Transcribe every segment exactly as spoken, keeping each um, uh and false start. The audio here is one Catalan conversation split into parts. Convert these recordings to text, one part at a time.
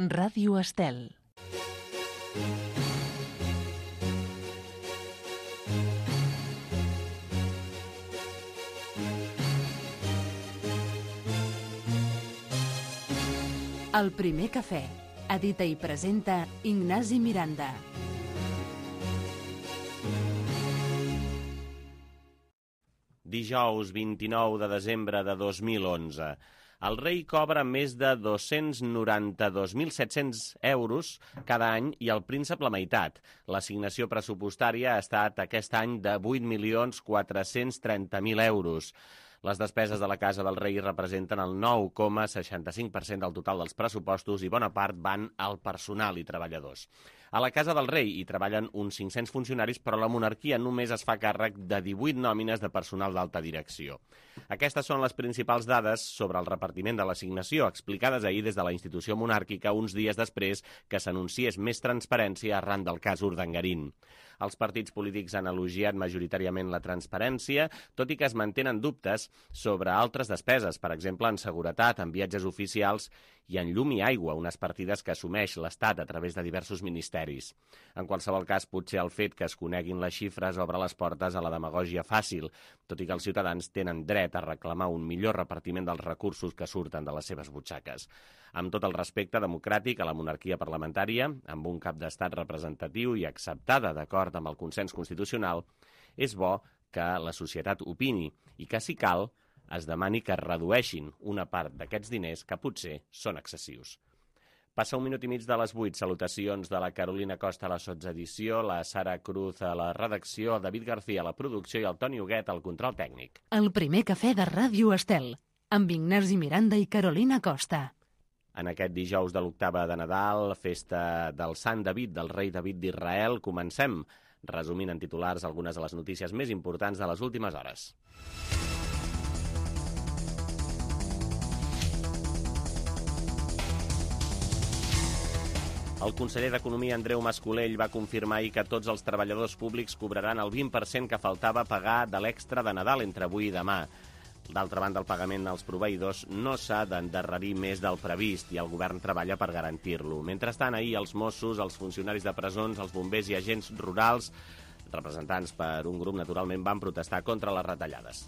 Ràdio Estel. El primer cafè. Edita i presenta Ignasi Miranda. Dijous vint-i-nou de desembre de dos mil onze. El rei cobra més de dos-cents noranta-dos mil set-cents euros cada any i el príncep la meitat. L'assignació pressupostària ha estat aquest any de vuit milions quatre-cents trenta mil euros. Les despeses de la Casa del Rei representen el nou coma seixanta-cinc per cent del total dels pressupostos i bona part van al personal i treballadors. A la Casa del Rei hi treballen uns cinc-cents funcionaris, però la monarquia només es fa càrrec de divuit nòmines de personal d'alta direcció. Aquestes són les principals dades sobre el repartiment de l'assignació, explicades ahir des de la institució monàrquica uns dies després que s'anunciés més transparència arran del cas Urdangarín. Els partits polítics han elogiat majoritàriament la transparència, tot i que es mantenen dubtes sobre altres despeses, per exemple en seguretat, en viatges oficials i en llum i aigua, unes partides que assumeix l'Estat a través de diversos ministeris. En qualsevol cas, potser el fet que es coneguin les xifres obre les portes a la demagògia fàcil, tot i que els ciutadans tenen dret a reclamar un millor repartiment dels recursos que surten de les seves butxaques. Amb tot el respecte democràtic a la monarquia parlamentària, amb un cap d'estat representatiu i acceptada d'acord amb el consens constitucional, és bo que la societat opini i que, si cal, es demani que redueixin una part d'aquests diners que potser són excessius. Passa un minut i mig de les vuit. Salutacions de la Carolina Costa a la sotsedició, la Sara Cruz a la redacció, el David García a la producció i el Toni Huguet al control tècnic. El primer cafè de Ràdio Estel, amb Ignasi Miranda i Carolina Costa. En aquest dijous de l'octava de Nadal, festa del Sant David, del rei David d'Israel, comencem resumint en titulars algunes de les notícies més importants de les últimes hores. El conseller d'Economia, Andreu Mas-Colell, va confirmar ahir que tots els treballadors públics cobraran el vint per cent que faltava pagar de l'extra de Nadal entre avui i demà. D'altra banda, el pagament als proveïdors no s'ha d'endarrerir més del previst i el govern treballa per garantir-lo. Mentrestant, ahir els Mossos, els funcionaris de presons, els bombers i agents rurals, representants per un grup, naturalment, van protestar contra les retallades.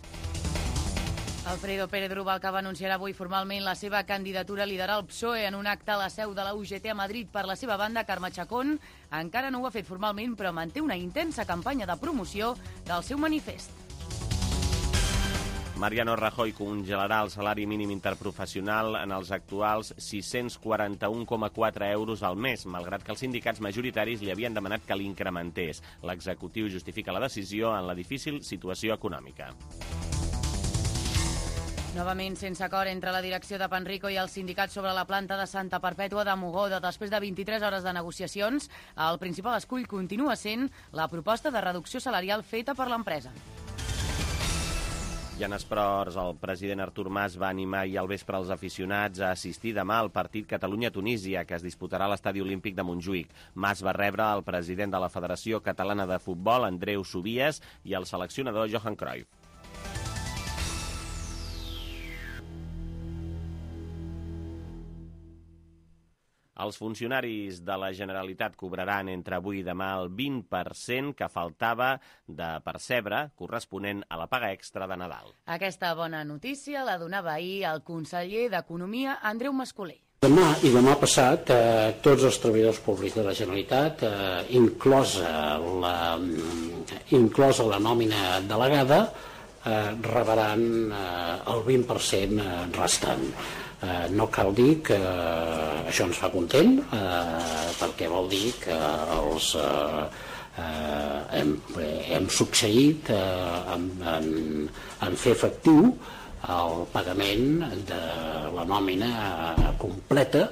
Alfredo Pérez Rubalcaba anunciarà avui formalment la seva candidatura a liderar el P S O E en un acte a la seu de la U G T a Madrid. Per la seva banda, Carme Chacón encara no ho ha fet formalment, però manté una intensa campanya de promoció del seu manifest. Mariano Rajoy congelarà el salari mínim interprofessional en els actuals sis-cents quaranta-un coma quatre euros al mes, malgrat que els sindicats majoritaris li havien demanat que l'incrementés. L'executiu justifica la decisió en la difícil situació econòmica. Novament sense acord entre la direcció de Panrico i els sindicats sobre la planta de Santa Perpètua de Mogoda. Després de vint-i-tres hores de negociacions, el principal escull continua sent la proposta de reducció salarial feta per l'empresa. I en esports, el president Artur Mas va animar ahir al vespre els aficionats a assistir demà al partit Catalunya-Tunísia, que es disputarà a l'Estadi Olímpic de Montjuïc. Mas va rebre el president de la Federació Catalana de Futbol, Andreu Subies, i el seleccionador Johan Cruyff. Els funcionaris de la Generalitat cobraran entre avui i demà el vint per cent que faltava de percebre corresponent a la paga extra de Nadal. Aquesta bona notícia la donava ahir el conseller d'Economia, Andreu Mas-Colell. Demà i demà passat, eh, tots els treballadors públics de la Generalitat, eh, inclosa, la, inclosa la nòmina delegada, eh, rebran eh, el vint per cent restant. Eh, no cal dir que eh, això ens fa content, eh, perquè vol dir que els, eh, eh, hem, hem succeït eh, en, en, en fer efectiu el pagament de la nòmina completa.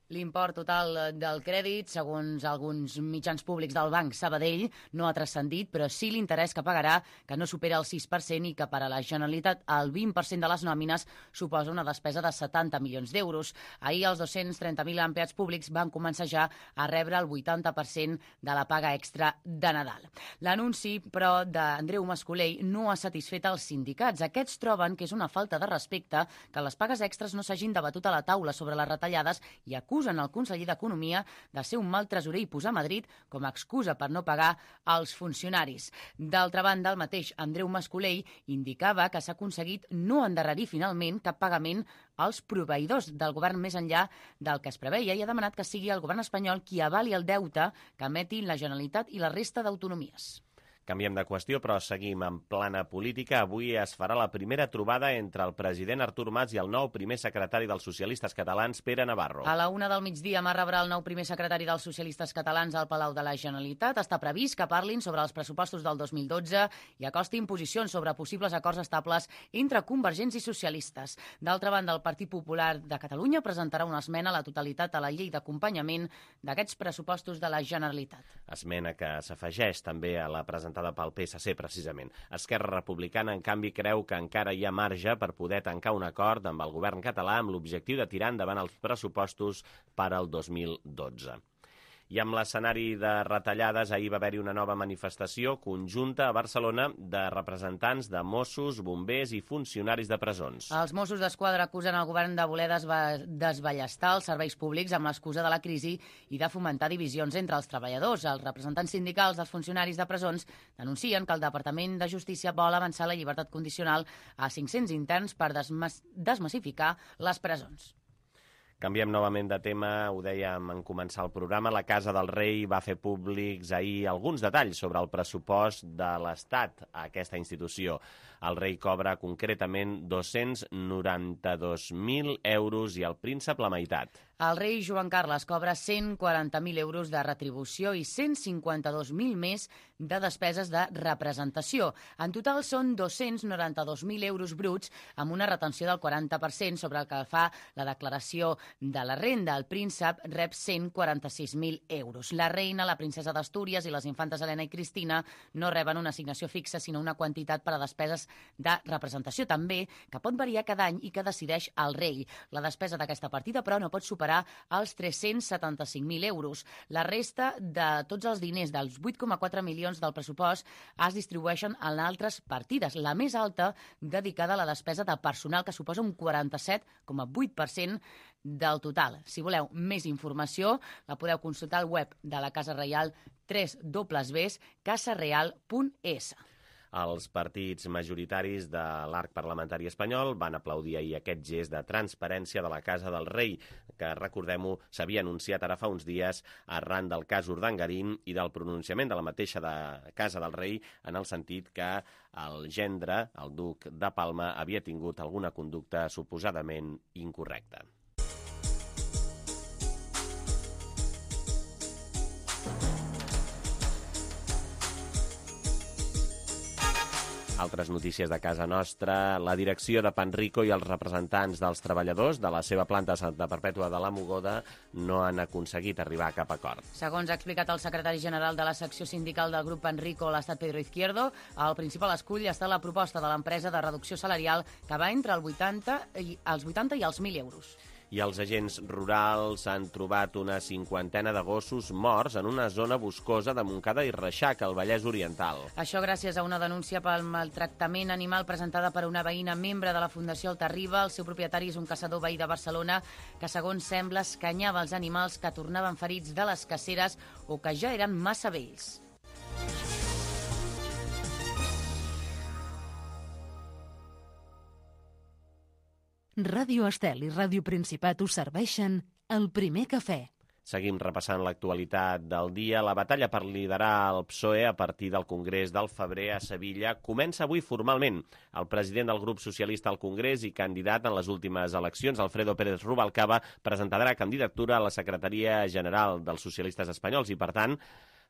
L'import total del crèdit, segons alguns mitjans públics del Banc Sabadell, no ha transcendit, però sí l'interès que pagarà, que no supera el sis per cent i que per a la Generalitat el vint per cent de les nòmines suposa una despesa de setanta milions d'euros. Ahir els dos-cents trenta mil empleats públics van començar ja a rebre el vuitanta per cent de la paga extra de Nadal. L'anunci, però, d'Andreu Mas-Colell no ha satisfet els sindicats. Aquests troben que és una falta de respecte que les pagues extres no s'hagin debatut a la taula sobre les retallades i acusen acusen el conseller d'Economia de ser un mal tresorer i posar Madrid com a excusa per no pagar als funcionaris. D'altra banda, el mateix Andreu Mascolell indicava que s'ha aconseguit no endarrerir finalment cap pagament als proveïdors del govern més enllà del que es preveia i ha demanat que sigui el govern espanyol qui avali el deute que emetin la Generalitat i la resta d'autonomies. Canviem de qüestió, però seguim en plana política. Avui es farà la primera trobada entre el president Artur Mas i el nou primer secretari dels socialistes catalans, Pere Navarro. A la una del migdia, Mas rebrà el nou primer secretari dels socialistes catalans al Palau de la Generalitat. Està previst que parlin sobre els pressupostos del dos mil dotze i acostin posicions sobre possibles acords estables entre convergents i socialistes. D'altra banda, el Partit Popular de Catalunya presentarà una esmena a la totalitat a la llei d'acompanyament d'aquests pressupostos de la Generalitat. Esmena que s'afegeix també a la presentació pel P S C, precisament. Esquerra Republicana, en canvi, creu que encara hi ha marge per poder tancar un acord amb el govern català amb l'objectiu de tirar endavant els pressupostos per al dos mil dotze. I amb l'escenari de retallades, ahir va haver-hi una nova manifestació conjunta a Barcelona de representants de Mossos, bombers i funcionaris de presons. Els Mossos d'Esquadra acusen el govern de voler desballestar els serveis públics amb l'excusa de la crisi i de fomentar divisions entre els treballadors. Els representants sindicals dels funcionaris de presons denuncien que el Departament de Justícia vol avançar la llibertat condicional a cinc-cents interns per desmas desmassificar les presons. Canviem novament de tema, ho dèiem en començar el programa. La Casa del Rei va fer públics ahir alguns detalls sobre el pressupost de l'Estat a aquesta institució. El rei cobra concretament dos-cents noranta-dos mil euros i el príncep la meitat. El rei Joan Carles cobra cent quaranta mil euros de retribució i cent cinquanta-dos mil més de despeses de representació. En total són dos-cents noranta-dos mil euros bruts amb una retenció del quaranta per cent sobre el que fa la declaració de la renda. El príncep rep cent quaranta-sis mil euros. La reina, la princesa d'Astúries i les infantes Helena i Cristina no reben una assignació fixa, sinó una quantitat per a despeses de representació també, que pot variar cada any i que decideix el rei. La despesa d'aquesta partida, però, no pot superar els tres-cents setanta-cinc mil euros. La resta de tots els diners dels vuit coma quatre milions del pressupost es distribueixen en altres partides. La més alta dedicada a la despesa de personal, que suposa un quaranta-set coma vuit per cent del total. Si voleu més informació, la podeu consultar al web de la Casa Reial, w w w punt casa real punt es. Els partits majoritaris de l'arc parlamentari espanyol van aplaudir ahir aquest gest de transparència de la Casa del Rei, que, recordem-ho, s'havia anunciat ara fa uns dies arran del cas Urdangarín i del pronunciament de la mateixa de Casa del Rei, en el sentit que el gendre, el duc de Palma, havia tingut alguna conducta suposadament incorrecta. Altres notícies de casa nostra. La direcció de Panrico i els representants dels treballadors de la seva planta a Santa Perpètua de la Mogoda no han aconseguit arribar a cap acord. Segons ha explicat el secretari general de la secció sindical del grup Panrico, l'Estat Pedro Izquierdo, el principal escull està la proposta de l'empresa de reducció salarial que va entre el vuitanta i, els vuitanta i els mil euros. I els agents rurals han trobat una cinquantena de gossos morts en una zona boscosa de Montcada i Reixac, al Vallès Oriental. Això gràcies a una denúncia pel maltractament animal presentada per una veïna membre de la Fundació Altarriba. El seu propietari és un caçador veí de Barcelona que, segons sembla, escanyava els animals que tornaven ferits de les caceres o que ja eren massa vells. Ràdio Estel i Ràdio Principat us serveixen el primer cafè. Seguim repassant l'actualitat del dia. La batalla per liderar el P S O E a partir del Congrés del febrer a Sevilla comença avui formalment. El president del grup socialista al Congrés i candidat en les últimes eleccions, Alfredo Pérez Rubalcaba, presentarà candidatura a la secretaria general dels socialistes espanyols i, per tant,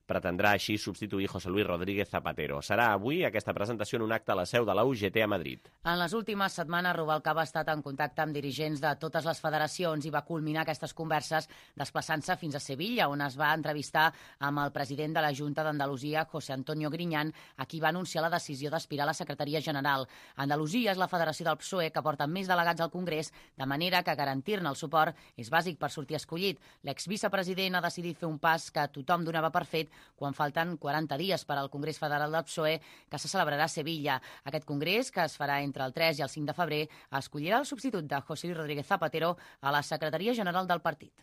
pretendrà així substituir José Luis Rodríguez Zapatero. Serà avui aquesta presentació en un acte a la seu de la U G T a Madrid. En les últimes setmanes, Rubalcaba ha estat en contacte amb dirigents de totes les federacions i va culminar aquestes converses desplaçant-se fins a Sevilla, on es va entrevistar amb el president de la Junta d'Andalusia, José Antonio Griñán, a qui va anunciar la decisió d'aspirar a la secretaria general. Andalusia és la federació del P S O E que porta més delegats al Congrés, de manera que garantir-ne el suport és bàsic per sortir escollit. L'exvicepresident ha decidit fer un pas que tothom donava per fet quan falten quaranta dies per al Congrés Federal del P S O E, que se celebrarà a Sevilla. Aquest congrés, que es farà entre el tres i el cinc de febrer, escollirà el substitut de José Luis Rodríguez Zapatero a la secretaria general del partit.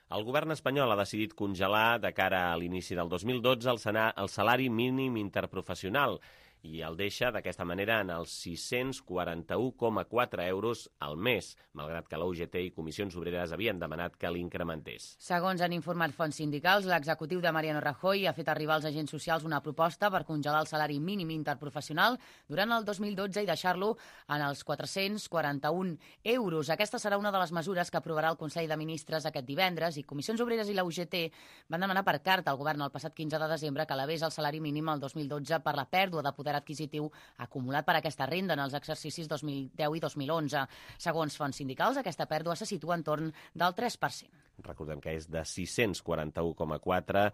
El govern espanyol ha decidit congelar de cara a l'inici del dos mil dotze el salari mínim interprofessional i el deixa d'aquesta manera en els sis-cents quaranta-u coma quatre euros al mes, malgrat que la U G T i Comissions Obreres havien demanat que l'incrementés. Segons han informat fonts sindicals, l'executiu de Mariano Rajoy ha fet arribar als agents socials una proposta per congelar el salari mínim interprofessional durant el dos mil dotze i deixar-lo en els quatre-cents quaranta-un euros. Aquesta serà una de les mesures que aprovarà el Consell de Ministres aquest divendres i Comissions Obreres i la U G T van demanar per carta al govern el passat quinze de desembre que elevés el salari mínim al dos mil dotze per la pèrdua de poder adquisitiu acumulat per aquesta renda en els exercicis dos mil deu i dos mil onze. Segons fonts sindicals, aquesta pèrdua se situa entorn del tres per cent. Recordem que és de sis-cents quaranta-u coma quatre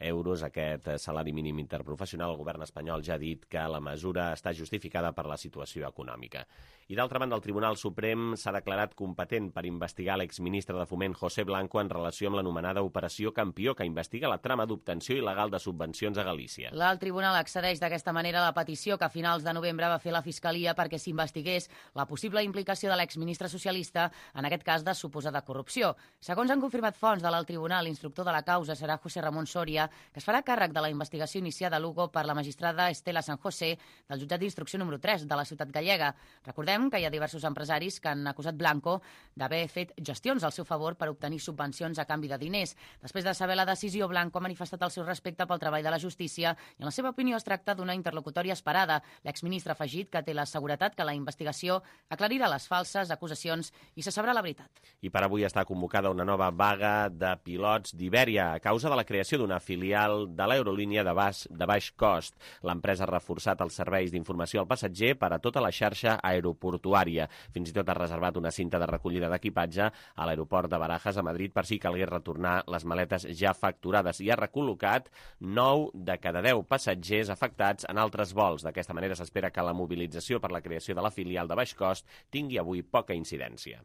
euros aquest salari mínim interprofessional. El govern espanyol ja ha dit que la mesura està justificada per la situació econòmica. I d'altra banda, el Tribunal Suprem s'ha declarat competent per investigar l'exministre de Foment José Blanco en relació amb l'anomenada Operació Campió, que investiga la trama d'obtenció il·legal de subvencions a Galícia. L'alt tribunal accedeix d'aquesta manera a la petició que a finals de novembre va fer la Fiscalia perquè s'investigués la possible implicació de l'exministre socialista, en aquest cas de suposada corrupció. Segons han confirmat fonts de l'alt tribunal, l'instructor de la causa serà José Ramón Soria, que es farà càrrec de la investigació iniciada a Lugo per la magistrada Estela San José del jutjat d'instrucció número tres de la ciutat gallega. Recordem que hi ha diversos empresaris que han acusat Blanco d'haver fet gestions al seu favor per obtenir subvencions a canvi de diners. Després de saber la decisió, Blanco ha manifestat el seu respecte pel treball de la justícia i en la seva opinió es tracta d'una interlocutòria esperada. L'exministre ha afegit que té la seguretat que la investigació aclarirà les falses acusacions i se sabrà la veritat. I per avui està convocada una nova vaga de pilots d'Ibèria a causa de la creació d'una filial de l'aerolínia de baix, de baix cost. L'empresa ha reforçat els serveis d'informació al passatger per a tota la xarxa aeroportuària. Fins i tot ha reservat una cinta de recollida d'equipatge a l'aeroport de Barajas a Madrid per si calgués retornar les maletes ja facturades i ha recol·locat nou de cada deu passatgers afectats en altres vols. D'aquesta manera s'espera que la mobilització per la creació de la filial de baix cost tingui avui poca incidència.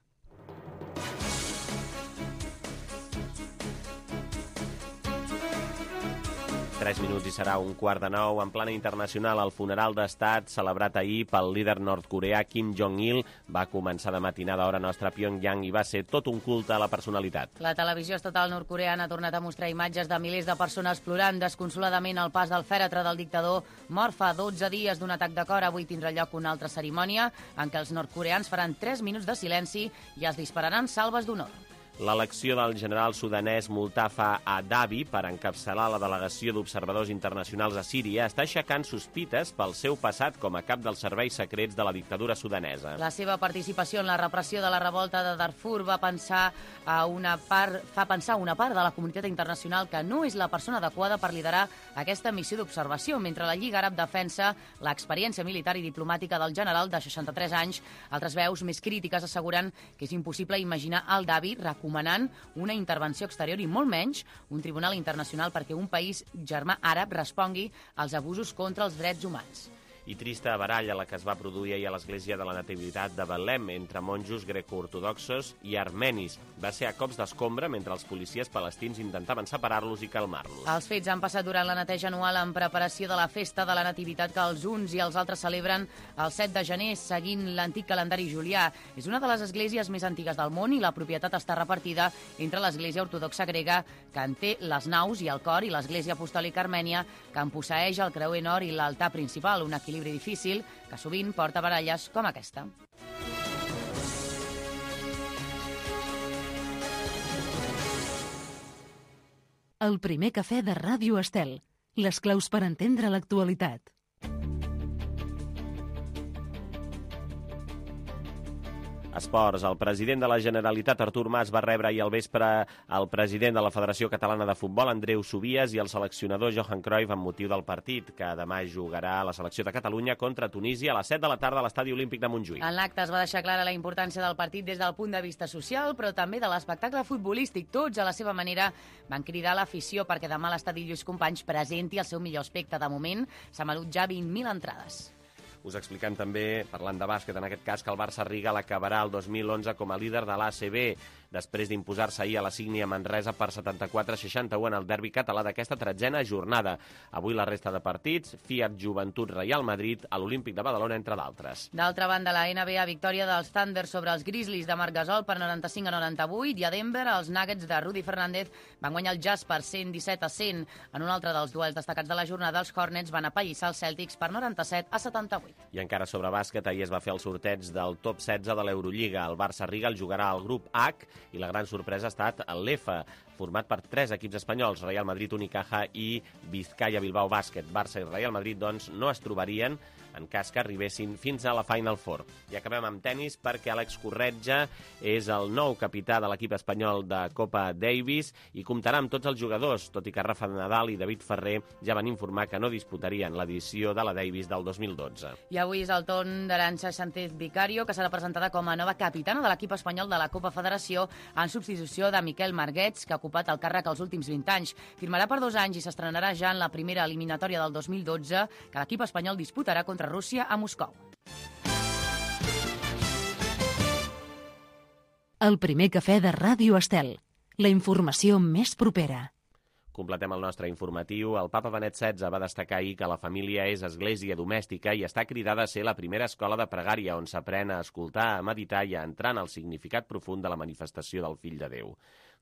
Tres minuts i serà un quart de nou. En plana internacional, el funeral d'estat celebrat ahir pel líder nord-coreà Kim Jong-il va començar de matinada hora nostra a Pyongyang i va ser tot un culte a la personalitat. La televisió estatal nord-coreana ha tornat a mostrar imatges de milers de persones plorant desconsoladament al pas del fèretre del dictador mort fa dotze dies d'un atac de cor. Avui tindrà lloc una altra cerimònia en què els nord-coreans faran tres minuts de silenci i es dispararan salves d'honor. L'elecció del general sudanès Mustafa Adabi per encapçalar la delegació d'observadors internacionals a Síria està aixecant sospites pel seu passat com a cap dels serveis secrets de la dictadura sudanesa. La seva participació en la repressió de la revolta de Darfur va pensar a una part, fa pensar a una part de la comunitat internacional que no és la persona adequada per liderar aquesta missió d'observació, mentre la Lliga Àrab defensa l'experiència militar i diplomàtica del general de seixanta-tres anys. Altres veus més crítiques asseguren que és impossible imaginar el Dabi recomanant una intervenció exterior i molt menys un tribunal internacional perquè un país germà àrab respongui als abusos contra els drets humans. I trista baralla la que es va produir ahir a l'església de la Nativitat de Betlem entre monjos greco-ortodoxos i armenis. Va ser a cops d'escombra mentre els policies palestins intentaven separar-los i calmar-los. Els fets han passat durant la neteja anual en preparació de la festa de la Nativitat que els uns i els altres celebren el set de gener seguint l'antic calendari julià. És una de les esglésies més antigues del món i la propietat està repartida entre l'església ortodoxa grega, que en té les naus i el cor, i l'església apostòlica armènia, que en posseeix el creuer nord i l'altar principal, un equilibri difícil que sovint porta baralles com aquesta. El primer cafè de Ràdio Estel. Les claus per entendre l'actualitat. Esports. El president de la Generalitat, Artur Mas, va rebre ahir al vespre el president de la Federació Catalana de Futbol, Andreu Subies, i el seleccionador Johan Cruyff amb motiu del partit, que demà jugarà a la selecció de Catalunya contra Tunísia a les set de la tarda a l'Estadi Olímpic de Montjuïc. En l'acte es va deixar clara la importància del partit des del punt de vista social, però també de l'espectacle futbolístic. Tots, a la seva manera, van cridar l'afició perquè demà l'Estadi Lluís Companys presenti el seu millor aspecte. De moment, s'han venut ja vint mil entrades. Us expliquem també, parlant de bàsquet, en aquest cas, que el Barça Riga l'acabarà el dos mil onze com a líder de l'A C B, després d'imposar-se ahir a la Sígnia Manresa per setanta-quatre a seixanta-u en el derbi català d'aquesta tretzena jornada. Avui la resta de partits, Fiat Joventut Real Madrid, a l'Olímpic de Badalona, entre d'altres. D'altra banda, la N B A, victòria dels Thunder sobre els Grizzlies de Marc Gasol per noranta-cinc a noranta-vuit, i a Denver els Nuggets de Rudy Fernández van guanyar el Jazz per cent disset a cent. En un altre dels duels destacats de la jornada, els Hornets van apallissar els Celtics per noranta-set a setanta-vuit. I encara sobre bàsquet, ahir es va fer el sorteig del top setze de l'Eurolliga. El Barça Riga el jugarà al grup H i la gran sorpresa ha estat l'F, format per tres equips espanyols, Real Madrid, Unicaja i Vizcaya Bilbao Bàsquet. Barça i Real Madrid, doncs, no es trobarien en cas que arribessin fins a la Final Four. I acabem amb tennis perquè Àlex Corretja és el nou capità de l'equip espanyol de Copa Davis i comptarà amb tots els jugadors, tot i que Rafa Nadal i David Ferrer ja van informar que no disputarien l'edició de la Davis del dos mil dotze. I avui és el torn d'Arantxa Sánchez Vicario, que serà presentada com a nova capitana de l'equip espanyol de la Copa Federació en substitució de Miquel Marguets, que ha ocupat el càrrec els últims vint anys. Firmarà per dos anys i s'estrenarà ja en la primera eliminatòria del dos mil dotze, que l'equip espanyol disputarà contra Rússia a Moscou. El primer cafè de Ràdio Estel. La informació més propera. Completem el nostre informatiu. El papa Benet setze va destacar ahir que la família és església domèstica i està cridada a ser la primera escola de pregària on s'aprèn a escoltar, a meditar i a entrar en el significat profund de la manifestació del Fill de Déu.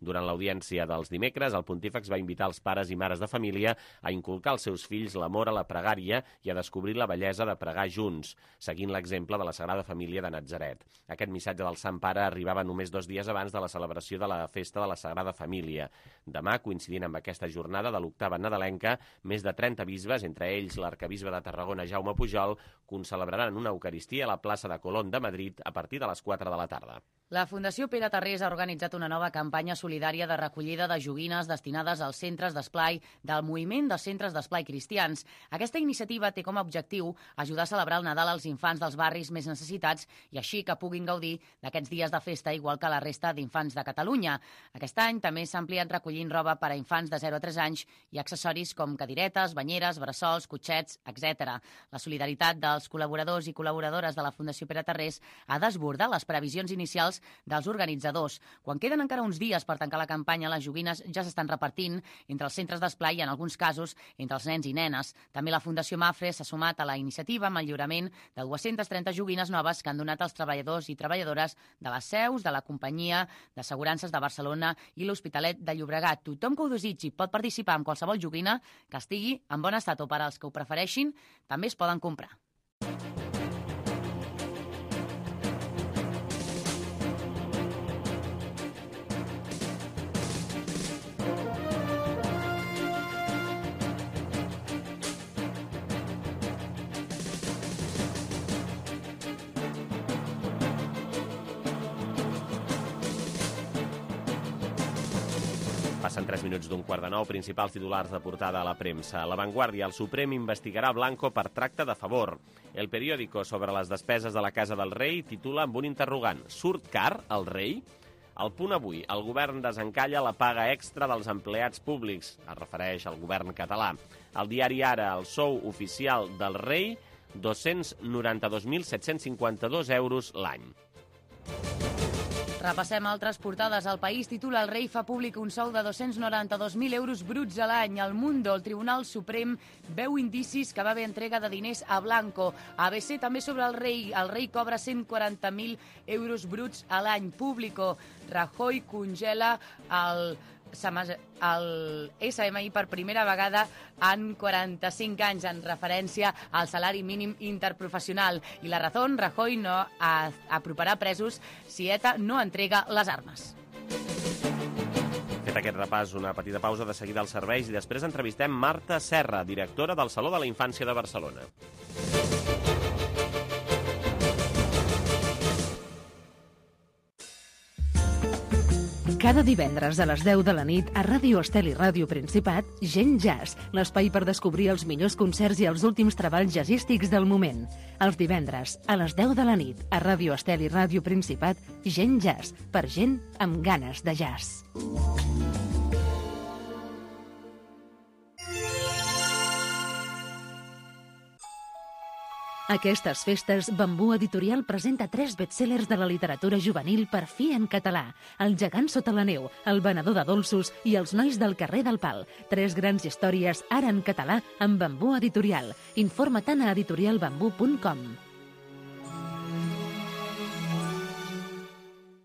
Durant l'audiència dels dimecres, el pontífex va invitar els pares i mares de família a inculcar als seus fills l'amor a la pregària i a descobrir la bellesa de pregar junts, seguint l'exemple de la Sagrada Família de Natzaret. Aquest missatge del Sant Pare arribava només dos dies abans de la celebració de la festa de la Sagrada Família. Demà, coincidint amb aquesta jornada de l'octava nadalenca, més de trenta bisbes, entre ells l'arcabisbe de Tarragona, Jaume Pujol, concelebraran una eucaristia a la plaça de Colón de Madrid a partir de les quatre de la tarda. La Fundació Pere Tarrés ha organitzat una nova campanya solidària de recollida de joguines destinades als centres d'esplai del moviment dels centres d'esplai cristians. Aquesta iniciativa té com a objectiu ajudar a celebrar el Nadal als infants dels barris més necessitats i així que puguin gaudir d'aquests dies de festa igual que la resta d'infants de Catalunya. Aquest any també s'ha ampliat recollint roba per a infants de zero a tres anys i accessoris com cadiretes, banyeres, bressols, cotxets, etcètera. La solidaritat dels col·laboradors i col·laboradores de la Fundació Pere Tarrés ha desbordat les previsions inicials dels organitzadors. Quan queden encara uns dies per tancar la campanya, les joguines ja s'estan repartint entre els centres d'esplai i, en alguns casos, entre els nens i nenes. També la Fundació Mafre s'ha sumat a la iniciativa amb el lliurament de dues-centes trenta joguines noves que han donat als treballadors i treballadores de les seus de la Companyia d'Assegurances de Barcelona i l'Hospitalet de Llobregat. Tothom que ho desitgi pot participar en qualsevol joguina que estigui en bon estat o per als que ho prefereixin, també es poden comprar. Passen tres minuts d'un quart de nou, principals titulars de portada a la premsa. La Vanguardia, el Suprem investigarà Blanco per tracte de favor. El periòdico sobre les despeses de la Casa del Rei titula amb un interrogant: surt car el rei? Al Punt Avui, el govern desencalla la paga extra dels empleats públics. Es refereix al govern català. El diari Ara, el sou oficial del rei, dos-cents noranta-dos mil set-cents cinquanta-dos euros l'any. Repassem altres portades. El País titula: el rei fa públic un sou de dos-cents noranta-dos mil euros bruts a l'any. El Mundo, el Tribunal Suprem veu indicis que va haver entrega de diners a Blanco. A B C també sobre el rei. El rei cobra cent quaranta mil euros bruts a l'any. Público, Rajoy congela el... el S M I per primera vegada en quaranta-cinc anys, en referència al salari mínim interprofessional. I La Razón, Rajoy no aproparà presos si ETA no entrega les armes. Fet aquest repàs, una petita pausa, de seguida als serveis i després entrevistem Marta Serra, directora del Saló de la Infància de Barcelona. Cada divendres a les deu de la nit a Ràdio Estel i Ràdio Principat, Gent Jazz, l'espai per descobrir els millors concerts i els últims treballs jazzístics del moment. Els divendres, a les deu de la nit, a Ràdio Estel i Ràdio Principat, Gent Jazz, per gent amb ganes de jazz. Aquestes festes, Bambú Editorial presenta tres bestsellers de la literatura juvenil per fi en català. El gegant sota la neu, El venedor de dolços i Els nois del carrer del Pal. Tres grans històries ara en català amb Bambú Editorial. Informa-te'n a editorial bambú punt com.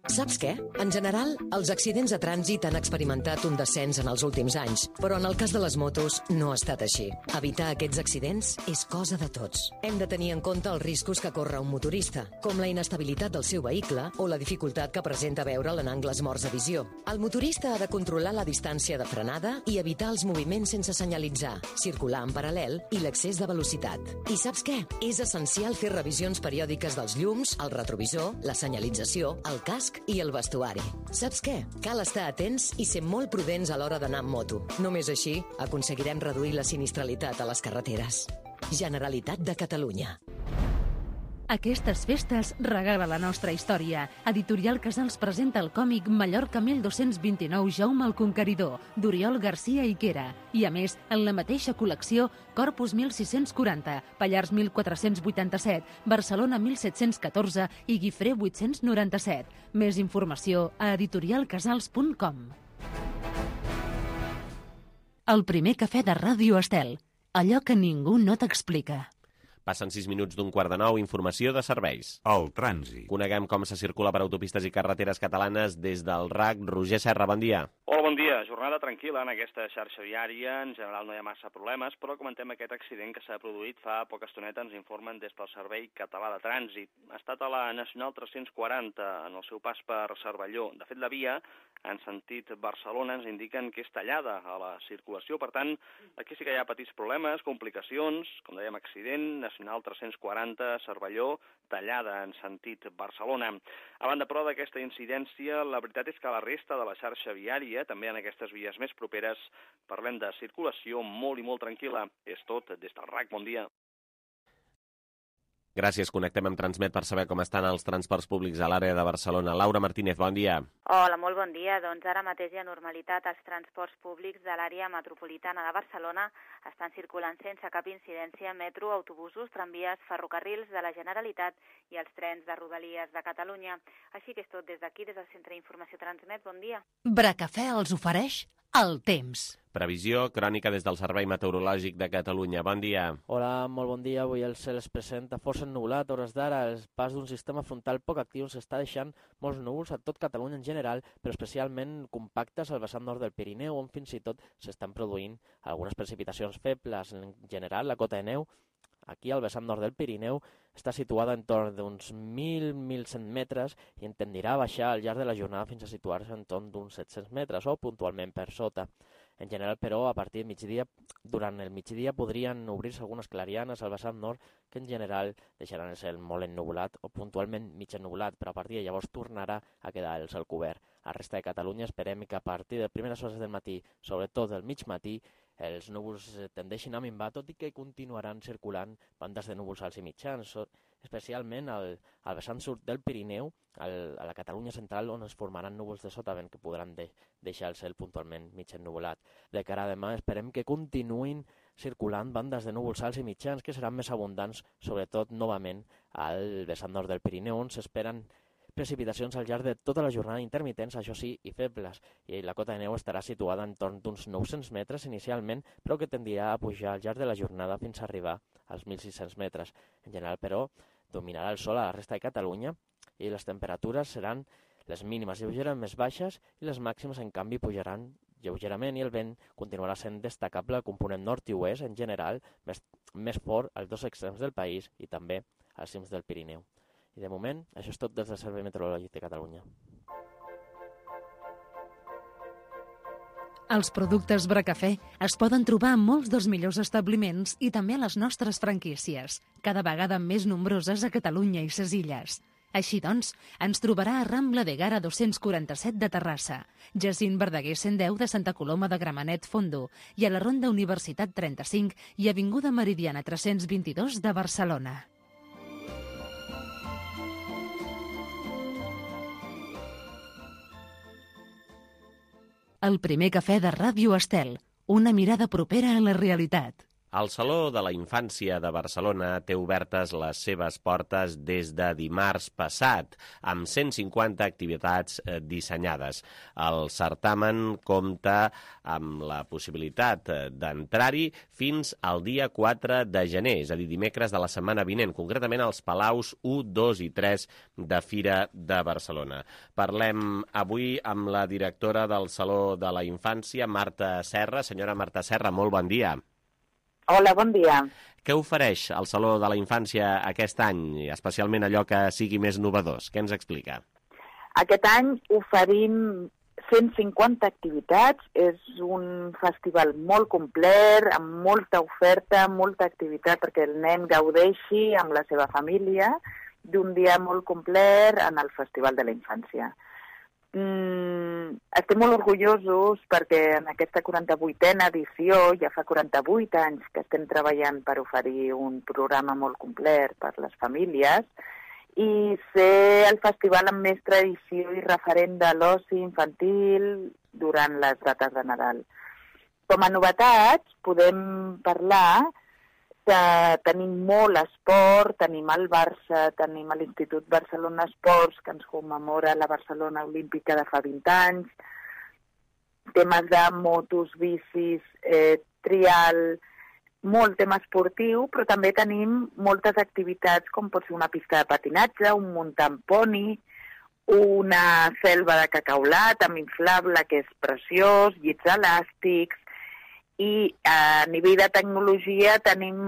Saps què? En general, els accidents de trànsit han experimentat un descens en els últims anys, però en el cas de les motos no ha estat així. Evitar aquests accidents és cosa de tots. Hem de tenir en compte els riscos que corre un motorista, com la inestabilitat del seu vehicle o la dificultat que presenta veure'l en angles morts de visió. El motorista ha de controlar la distància de frenada i evitar els moviments sense senyalitzar, circular en paral·lel i l'excés de velocitat. I saps què? És essencial fer revisions periòdiques dels llums, el retrovisor, la senyalització, el casc i el vestuari. Saps què? Cal estar atents i ser molt prudents a l'hora d'anar amb moto. Només així aconseguirem reduir la sinistralitat a les carreteres. Generalitat de Catalunya. Aquestes festes regala la nostra història. Editorial Casals presenta el còmic Mallorca mil dos-cents vint-i-nou Jaume el Conqueridor, d'Oriol Garcia Iquera. I a més, en la mateixa col·lecció, Corpus mil sis-cents quaranta, Pallars mil quatre-cents vuitanta-set, Barcelona mil set-cents catorze i Guifré vuit-cents noranta-set. Més informació a editorial casals punt com. El primer cafè de Ràdio Estel. Allò que ningú no t'explica. Passen sis minuts d'un quart de nou, informació de serveis. El trànsit. Coneguem com se circula per autopistes i carreteres catalanes des del R A C. Roger Serra, bon dia. Hola, bon dia. Jornada tranquil·la en aquesta xarxa viària. En general no hi ha massa problemes, però comentem aquest accident que s'ha produït fa poca estoneta, ens informen des del Servei Català de Trànsit. Ha estat a la Nacional tres-cents quaranta, en el seu pas per Cervelló. De fet, la via, en sentit Barcelona, ens indiquen que és tallada a la circulació. Per tant, aquí sí que hi ha petits problemes, complicacions, com dèiem, accident, Nacional tres-cents quaranta, Cervelló, tallada en sentit Barcelona. A banda, però, d'aquesta incidència, la veritat és que la resta de la xarxa viària, també en aquestes vies més properes, parlem de circulació molt i molt tranquil·la. És tot des del R A C. Bon dia. Gràcies. Connectem amb Transmet per saber com estan els transports públics a l'àrea de Barcelona. Laura Martínez, bon dia. Hola, molt bon dia. Doncs ara mateix hi ha normalitat als transports públics de l'àrea metropolitana de Barcelona. Estan circulant sense cap incidència metro, autobusos, tramvies, ferrocarrils de la Generalitat i els trens de Rodalies de Catalunya. Així que és tot des d'aquí, des del Centre d'Informació Transmet. Bon dia. Bracafè els ofereix el temps. Previsió, crònica des del Servei Meteorològic de Catalunya. Bon dia. Hola, molt bon dia. Avui el cel es presenta força ennubulat. A hores d'ara, el pas d'un sistema frontal poc actiu s'està deixant molts núvols a tot Catalunya en general, però especialment compactes al vessant nord del Pirineu, on fins i tot s'estan produint algunes precipitacions febles. En general, la cota de neu aquí al vessant nord del Pirineu està situada en torn d'uns mil a mil cent metres i tendirà a baixar al llarg de la jornada fins a situar-se en torn d'uns set-cents metres o puntualment per sota. En general, però, a partir del migdia, durant el migdia podrien obrir-se algunes clarianes al vessant nord que en general deixaran el cel molt ennubulat o puntualment mig ennubulat, però a partir de llavors tornarà a quedar el cel cobert. A la resta de Catalunya esperem que a partir de primeres hores del matí, sobretot del mig matí, els núvols tendeixin a minvar, tot i que continuaran circulant bandes de núvols alts i mitjans, especialment al, al vessant sud del Pirineu, al, a la Catalunya central, on es formaran núvols de sotavent que podran de, deixar el cel puntualment mig ennubulat. De cara a demà esperem que continuïn circulant bandes de núvols alts i mitjans que seran més abundants, sobretot novament al vessant nord del Pirineu, on s'esperen precipitacions al llarg de tota la jornada intermitents, això sí, i febles, i la cota de neu estarà situada en torn d'uns nou-cents metres inicialment, però que tendirà a pujar al llarg de la jornada fins a arribar als mil sis-cents metres. En general, però, dominarà el sol a la resta de Catalunya i les temperatures seran les mínimes lleugerament més baixes i les màximes, en canvi, pujaran lleugerament i el vent continuarà sent destacable component nord i oest, en general, més, més fort als dos extrems del país i també als cims del Pirineu. I de moment, això és tot des del Servei Meteorològic de Catalunya. Els productes Bracafè es poden trobar en molts dels millors establiments i també a les nostres franquícies, cada vegada més nombroses a Catalunya i ses Illes. Així doncs, ens trobarà a Rambla de Gara dos-cents quaranta-set de Terrassa, Jacint Verdaguer cent deu de Santa Coloma de Gramenet Fondo i a la Ronda Universitat trenta-cinc i Avinguda Meridiana tres-cents vint-i-dos de Barcelona. El primer cafè de Ràdio Estel, una mirada propera a la realitat. El Saló de la Infància de Barcelona té obertes les seves portes des de dimarts passat, amb cent cinquanta activitats eh, dissenyades. El certamen compta amb la possibilitat eh, d'entrar-hi fins al dia quatre de gener, és a dir, dimecres de la setmana vinent, concretament als Palaus u, dos i tres de Fira de Barcelona. Parlem avui amb la directora del Saló de la Infància, Marta Serra. Senyora Marta Serra, molt bon dia. Hola, bon dia. Què ofereix el Saló de la Infància aquest any, especialment allò que sigui més novedós? Què ens explica? Aquest any oferim cent cinquanta activitats. És un festival molt complet, amb molta oferta, molta activitat perquè el nen gaudeixi amb la seva família d'un dia molt complet en el Festival de la Infància. Mm, estem molt orgullosos perquè en aquesta quaranta-vuitena edició, ja fa quaranta-vuit anys que estem treballant per oferir un programa molt complet per les famílies i ser el festival amb més tradició i referent de l'oci infantil durant les dates de Nadal. Com a novetats podem parlar que tenim molt esport, tenim el Barça, tenim l'Institut Barcelona Esports, que ens commemora la Barcelona Olímpica de fa vint anys, temes de motos, bicis, eh, trial, molt tema esportiu, però també tenim moltes activitats com pot ser una pista de patinatge, un muntant poni, una selva de cacaulat amb inflable, que és preciós, llits elàstics, i a nivell de tecnologia tenim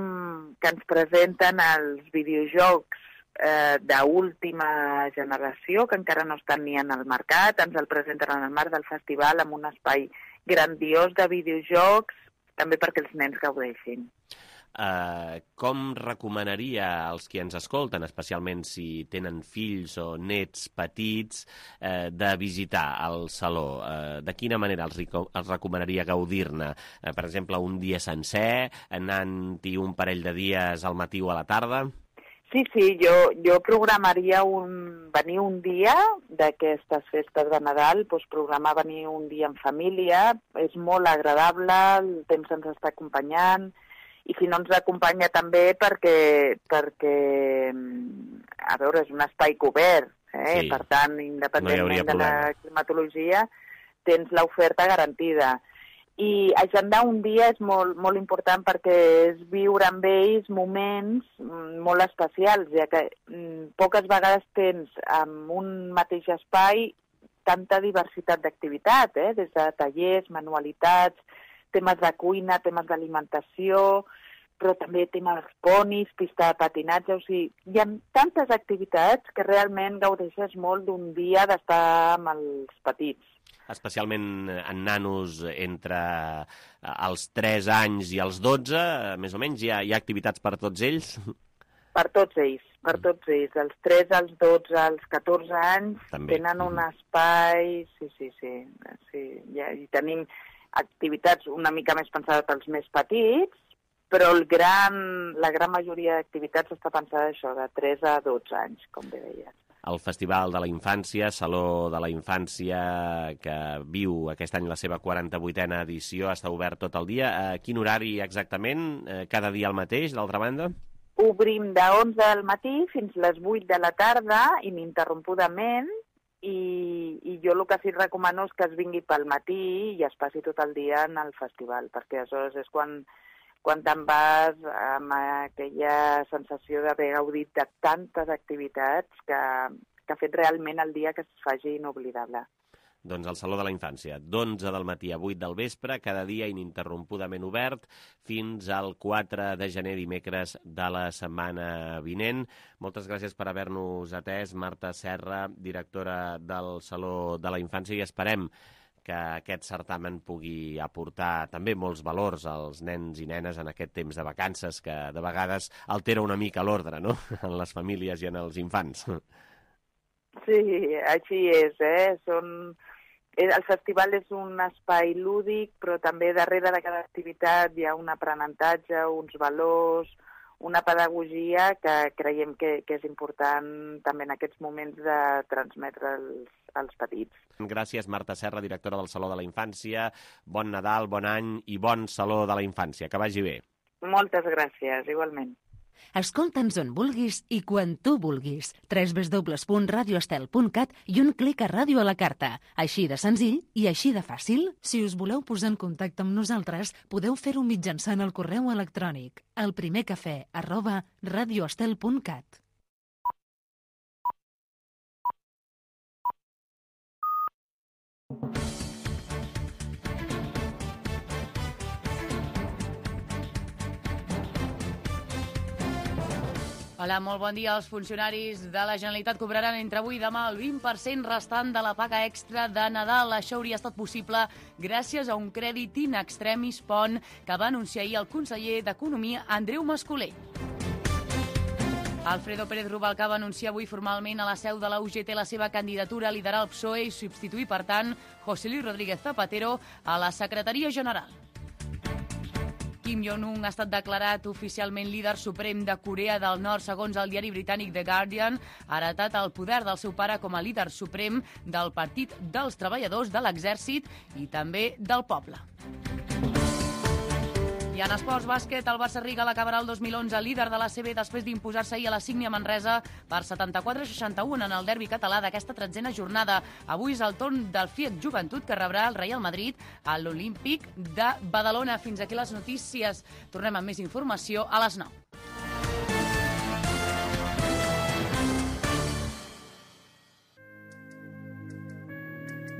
que ens presenten els videojocs eh, d'última generació, que encara no estan ni en el mercat, ens el presenten en el marc del festival amb un espai grandiós de videojocs, també perquè els nens gaudeixin. Uh, com recomanaria als qui ens escolten, especialment si tenen fills o nets petits, uh, de visitar el Saló? Uh, de quina manera els, els recomanaria gaudir-ne? Uh, per exemple, un dia sencer, anant-hi un parell de dies al matí o a la tarda? Sí, sí, jo, jo programaria un, venir un dia d'aquestes festes de Nadal, doncs programar venir un dia en família, és molt agradable, el temps ens està acompanyant, i si no ens acompanya també perquè, perquè a veure, és un espai cobert, eh? Sí. Per tant, independentment no de la climatologia, tens l'oferta garantida. I agendar un dia és molt, molt important perquè és viure amb ells moments molt especials, ja que mm, poques vegades tens en un mateix espai tanta diversitat d'activitat, eh? Des de tallers, manualitats, temes de cuina, temes d'alimentació, però també temes ponis, pista de patinatge, o sigui, hi ha tantes activitats que realment gaudeixes molt d'un dia d'estar amb els petits. Especialment en nanos entre els tres anys i els dotze, més o menys, hi ha, hi ha activitats per tots ells? Per tots ells, per tots ells. Els tres, els dotze, els catorze anys també tenen un espai, sí, sí, sí, sí. Ja, i tenim activitats una mica més pensades pels més petits, però el gran, la gran majoria d'activitats està pensada això, de tres a dotze anys, com bé deies. El Festival de la Infància, Saló de la Infància, que viu aquest any la seva quaranta-vuitena edició, està obert tot el dia. A quin horari exactament? Cada dia al mateix, d'altra banda? Obrim de onze del matí fins les vuit de la tarda, ininterrompudament, I, i jo el que sí recomano és que es vingui pel matí i es passi tot el dia en el festival, perquè aleshores és quan, quan te'n vas amb aquella sensació d'haver gaudit de tantes activitats que, que ha fet realment el dia que es faci inoblidable. Doncs el Saló de la Infància, d'onze del matí a vuit del vespre, cada dia ininterrompudament obert, fins al quatre de gener, dimecres de la setmana vinent. Moltes gràcies per haver-nos atès, Marta Serra, directora del Saló de la Infància, i esperem que aquest certamen pugui aportar també molts valors als nens i nenes en aquest temps de vacances, que de vegades altera una mica l'ordre, no?, en les famílies i en els infants. Sí, així és, eh? Són... El festival és un espai lúdic, però també darrere de cada activitat hi ha un aprenentatge, uns valors, una pedagogia que creiem que, que és important també en aquests moments de transmetre als, als petits. Gràcies, Marta Serra, directora del Saló de la Infància. Bon Nadal, bon any i bon Saló de la Infància. Que vagi bé. Moltes gràcies, igualment. Escolta'ns on vulguis i quan tu vulguis. w w w punt radio estel punt cat i un clic a ràdio a la carta. Així de senzill i així de fàcil. Si us voleu posar en contacte amb nosaltres, podeu fer-ho mitjançant el correu electrònic elprimercafè arroba radioestel punt cat. Hola, molt bon dia. Els funcionaris de la Generalitat cobraran entre avui i demà el vint per cent restant de la paga extra de Nadal. Això hauria estat possible gràcies a un crèdit in extremis pont que va anunciar ahir el conseller d'Economia, Andreu Mascolell. Alfredo Pérez Rubalcaba va anunciar avui formalment a la seu de la U G T la seva candidatura a liderar el P S O E i substituir, per tant, José Luis Rodríguez Zapatero a la secretaria general. Kim Jong-un ha estat declarat oficialment líder suprem de Corea del Nord, segons el diari britànic The Guardian. Ha heretat el poder del seu pare com a líder suprem del Partit dels Treballadors, de l'Exèrcit i també del poble. I en esports bàsquet, el Barça Riga l'acabarà el dos mil onze líder de l'A C B després d'imposar-se ahir a la Sígnia Manresa per setanta-quatre a seixanta-u en el derbi català d'aquesta tretzena jornada. Avui és el torn del Fiat Joventut, que rebrà el Real Madrid a l'Olímpic de Badalona. Fins aquí les notícies. Tornem amb més informació a les nou.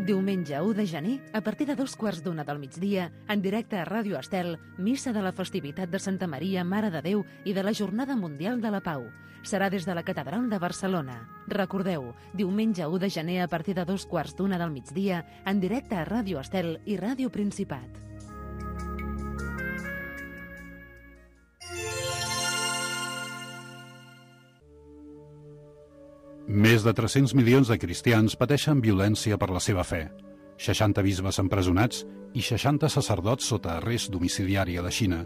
Diumenge u de gener, a partir de dos quarts d'una del migdia, en directe a Ràdio Estel, missa de la festivitat de Santa Maria, Mare de Déu i de la Jornada Mundial de la Pau. Serà des de la Catedral de Barcelona. Recordeu, diumenge u de gener, a partir de dos quarts d'una del migdia, en directe a Ràdio Estel i Ràdio Principat. Més de tres-cents milions de cristians pateixen violència per la seva fe. seixanta bisbes empresonats i seixanta sacerdots sota arrest domiciliari a la Xina.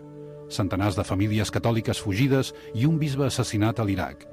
Centenars de famílies catòliques fugides i un bisbe assassinat a l'Iraq.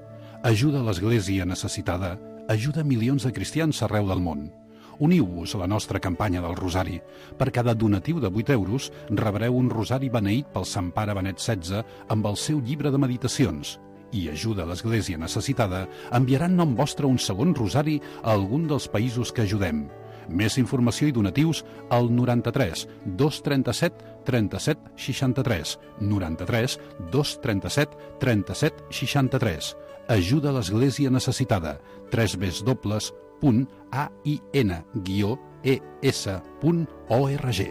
Ajuda a l'Església necessitada, ajuda milions de cristians arreu del món. Uniu-vos a la nostra campanya del Rosari. Per cada donatiu de vuit euros rebreu un rosari beneït pel Sant Pare Benet setze amb el seu llibre de meditacions. I ajuda a l'Església necessitada, enviaran nom vostre un segon rosari a algun dels països que ajudem. Més informació i donatius al noranta-tres dos trenta-set trenta-set seixanta-tres, noranta-tres dos trenta-set trenta-set seixanta-tres. Ajuda a l'Església necessitada. w w w punt a i n guió e s punt org.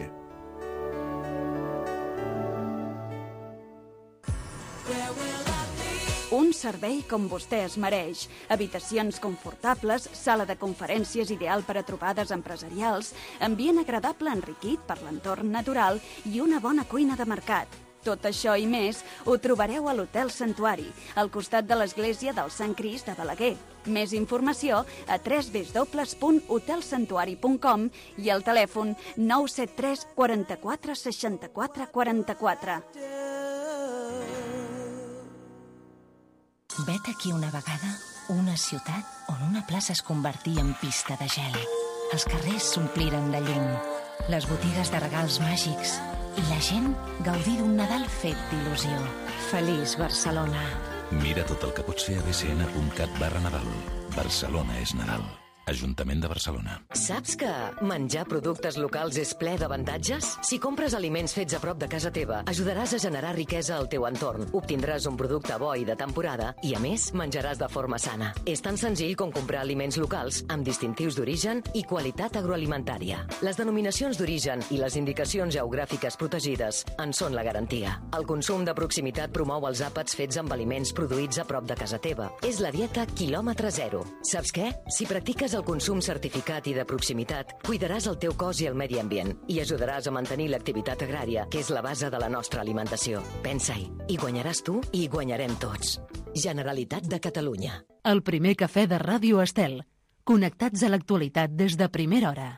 Un servei com vostè es mereix. Habitacions confortables, sala de conferències ideal per a trobades empresarials, ambient agradable enriquit per l'entorn natural i una bona cuina de mercat. Tot això i més ho trobareu a l'Hotel Santuari, al costat de l'església del Sant Crist de Balaguer. Més informació a w w w punt hotel santuari punt com i al telèfon nou set tres quaranta-quatre seixanta-quatre quaranta-quatre. Vet aquí una vegada una ciutat on una plaça es convertí en pista de gel. Els carrers s'ompliren de llum, les botigues de regals màgics i la gent gaudí d'un Nadal fet d'il·lusió. Feliç Barcelona. Mira tot el que pots fer a b c n punt cat barra Nadal. Barcelona és Nadal. Ajuntament de Barcelona. Saps que menjar productes locals és ple d'avantatges? Si compres aliments fets a prop de casa teva, ajudaràs a generar riquesa al teu entorn. Obtindràs un producte bo i de temporada i, a més, menjaràs de forma sana. És tan senzill com comprar aliments locals amb distintius d'origen i qualitat agroalimentària. Les denominacions d'origen i les indicacions geogràfiques protegides en són la garantia. El consum de proximitat promou els àpats fets amb aliments produïts a prop de casa teva. És la dieta quilòmetre zero. Saps què? Si practiques el consum certificat i de proximitat, cuidaràs el teu cos i el medi ambient i ajudaràs a mantenir l'activitat agrària, que és la base de la nostra alimentació. Pensa-hi, hi guanyaràs tu i hi guanyarem tots. Generalitat de Catalunya. El primer cafè de Ràdio Estel. Connectats a l'actualitat des de primera hora.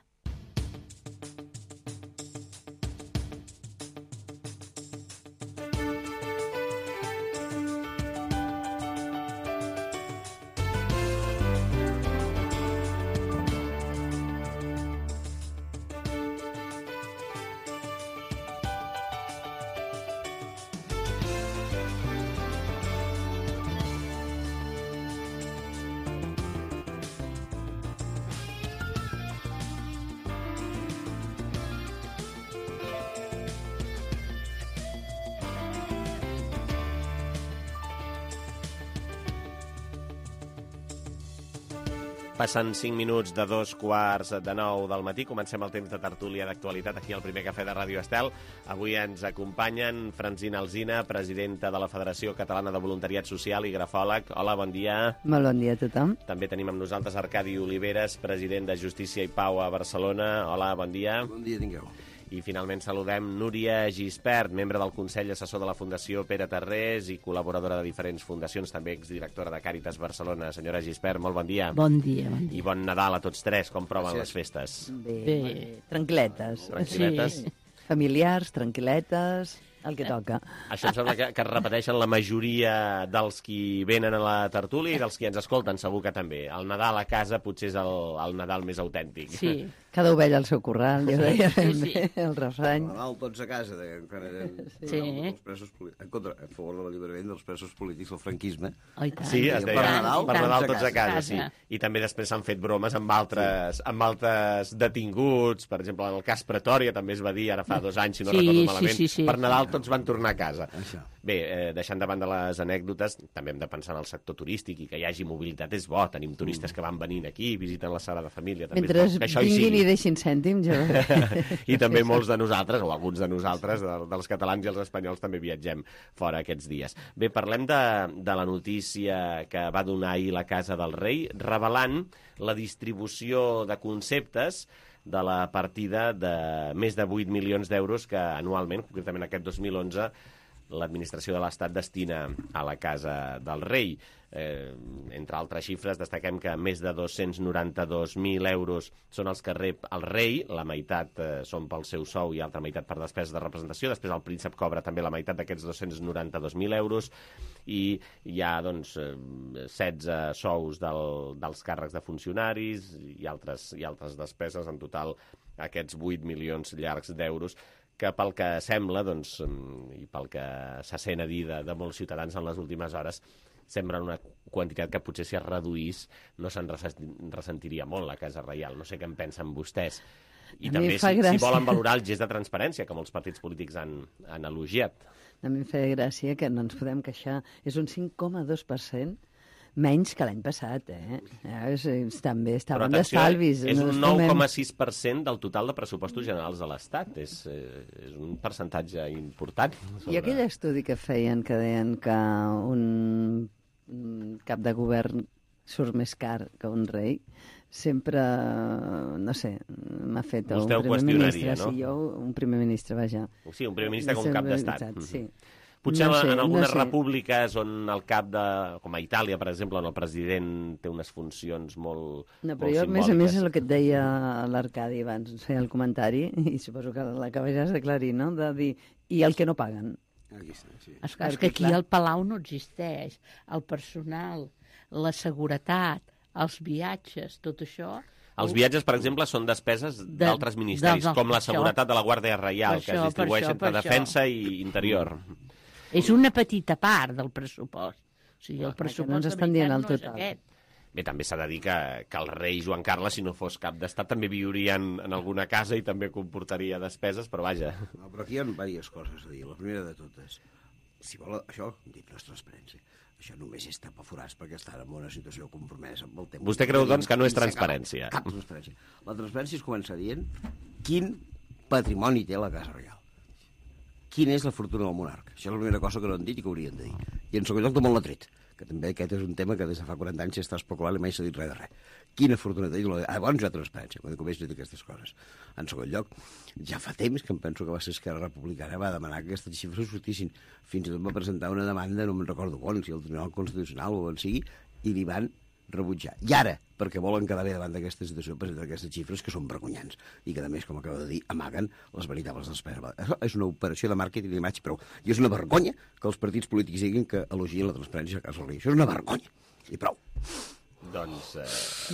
Passen cinc minuts de dos quarts de nou del matí. Comencem el temps de tertúlia d'actualitat aquí al primer cafè de Ràdio Estel. Avui ens acompanyen Francina Alsina, presidenta de la Federació Catalana de Voluntariat Social i grafòleg. Hola, bon dia. Molt bon dia a tothom. També tenim amb nosaltres Arcadi Oliveres, president de Justícia i Pau a Barcelona. Hola, bon dia. Bon dia, tingueu. I finalment saludem Núria Gispert, membre del Consell Assessor de la Fundació Pere Tarrés i col·laboradora de diferents fundacions, també exdirectora de Càritas Barcelona. Senyora Gispert, molt bon dia. Bon dia, bon dia. I bon Nadal a tots tres. Com proven Gràcies. les festes? Bé, Bé. tranquil·letes. Tranquil·letes? Sí. Familiars, tranquil·letes, el que toca. Això em sembla que, que es repeteixen la majoria dels qui venen a la tertúlia i dels qui ens escolten, segur que també. El Nadal a casa potser és el, el Nadal més autèntic. Sí, cada ovella al seu corral, jo deia sí, sí. el refrany. Nadal tots a casa, de, encara eren sí. els presos en contra, a favor de l'alliberament dels presos polítics del franquisme. Oh, tant. Sí, es deia, per Nadal, per Nadal tots a casa, casa. sí. I també després s'han fet bromes amb altres, sí. amb altres detinguts, per exemple, en el cas Pretòria també es va dir ara fa dos anys, si no sí, recordo malament, sí, sí, sí. per Nadal tots van tornar a casa. Això. Bé, eh, deixant de banda les anècdotes, també hem de pensar en el sector turístic i que hi hagi mobilitat és bo. Tenim turistes que van venint aquí, visiten la Sagrada Família. També Mentre és bo, que això vinguin hi sigui. i deixin cèntims, jo... I també molts de nosaltres, o alguns de nosaltres, de, dels catalans i els espanyols, també viatgem fora aquests dies. Bé, parlem de, de la notícia que va donar ahir la Casa del Rei, revelant la distribució de conceptes de la partida de més de vuit milions d'euros que anualment, concretament aquest dos mil onze, l'administració de l'Estat destina a la Casa del Rei. Eh, entre altres xifres, destaquem que més de dos-cents noranta-dos mil euros són els que rep el rei, la meitat eh, són pel seu sou i altra meitat per despeses de representació, després el príncep cobra també la meitat d'aquests dos-cents noranta-dos mil euros i hi ha doncs, setze sous del, dels càrrecs de funcionaris i altres, i altres despeses, en total aquests vuit milions llargs d'euros, que pel que sembla, doncs, i pel que se sent a dir de, de molts ciutadans en les últimes hores, sembla una quantitat que potser si es reduís no se'n ressentiria molt la Casa Reial. No sé què en pensen vostès. I a també si, gràcia. si volen valorar el gest de transparència, que molts partits polítics han, han elogiat. A mi em feia gràcia que no ens podem queixar. És un cinc coma dos per cent menys que l'any passat, eh? És, és, també estaven d'estalvis. És un nou coma sis per cent del total de pressupostos generals de l'Estat. És, eh, és un percentatge important. Sobre... I aquell estudi que feien, que deien que un cap de govern surt més car que un rei, sempre, no sé, m'ha fet Vostè un primer ministre. No? Sí, jo, un primer ministre, vaja. Sí, un primer ministre com cap d'estat. Sí. Potser no sé, en algunes no sé. repúbliques on el cap de... com a Itàlia, per exemple, on el president té unes funcions molt No, però molt jo, a més a més, simbòliques. el que et deia l'Arcadi abans, feia el comentari, i suposo que l'acabaràs d'aclarir, no?, de dir, i el que no paguen. Aquí està, sí. És clar, és que aquí el palau no existeix. El personal, la seguretat, els viatges, tot això... Els viatges, per exemple, són despeses d'altres ministeris, de, de, com la seguretat de la Guàrdia Reial, això, que es distribueix això, entre defensa i interior. És una petita part del pressupost. O sigui, el Clar, pressupost no ens de estan dient veritat el no és total. aquest. Bé, també s'ha de dir que, que el rei Joan Carles, si no fos cap d'estat, també viuria en, en alguna casa i també comportaria despeses, però vaja. No, però aquí hi ha diverses coses a dir. La primera de totes, si vol, això, dit, no és transparència. Això només és tapar forats perquè estan en una situació compromesa amb el temps. Vostè creu, doncs, que no és transparència? Cap transparència. La transparència es comença dient quin patrimoni té la Casa Reial. Quina és la fortuna del monarca? Això és la primera cosa que no han dit i que haurien de dir. I en segon lloc, d'on l'ha tret, que també aquest és un tema que des de fa quaranta anys s'està especulant i mai s'ha dit res de res. Quina fortuna té? Ah, llavors hi ha transparència, quan comença a dir aquestes coses. En segon lloc, ja fa temps que em penso que va ser Esquerra Republicana va demanar que aquestes xifres sortissin. Fins i tot va presentar una demanda, no me'n recordo on, si el Tribunal Constitucional o on sigui, i li van rebutjar. I ara, perquè volen quedar bé davant d'aquesta situació, presenten aquestes xifres que són vergonyants i que, a més, com acabo de dir, amaguen les veritables despeses. Això és una operació de màrqueting d'imatge, però i és una vergonya que els partits polítics diguin que elogien la transparència a Casa Reial. Això és una vergonya. I prou. Doncs... Eh...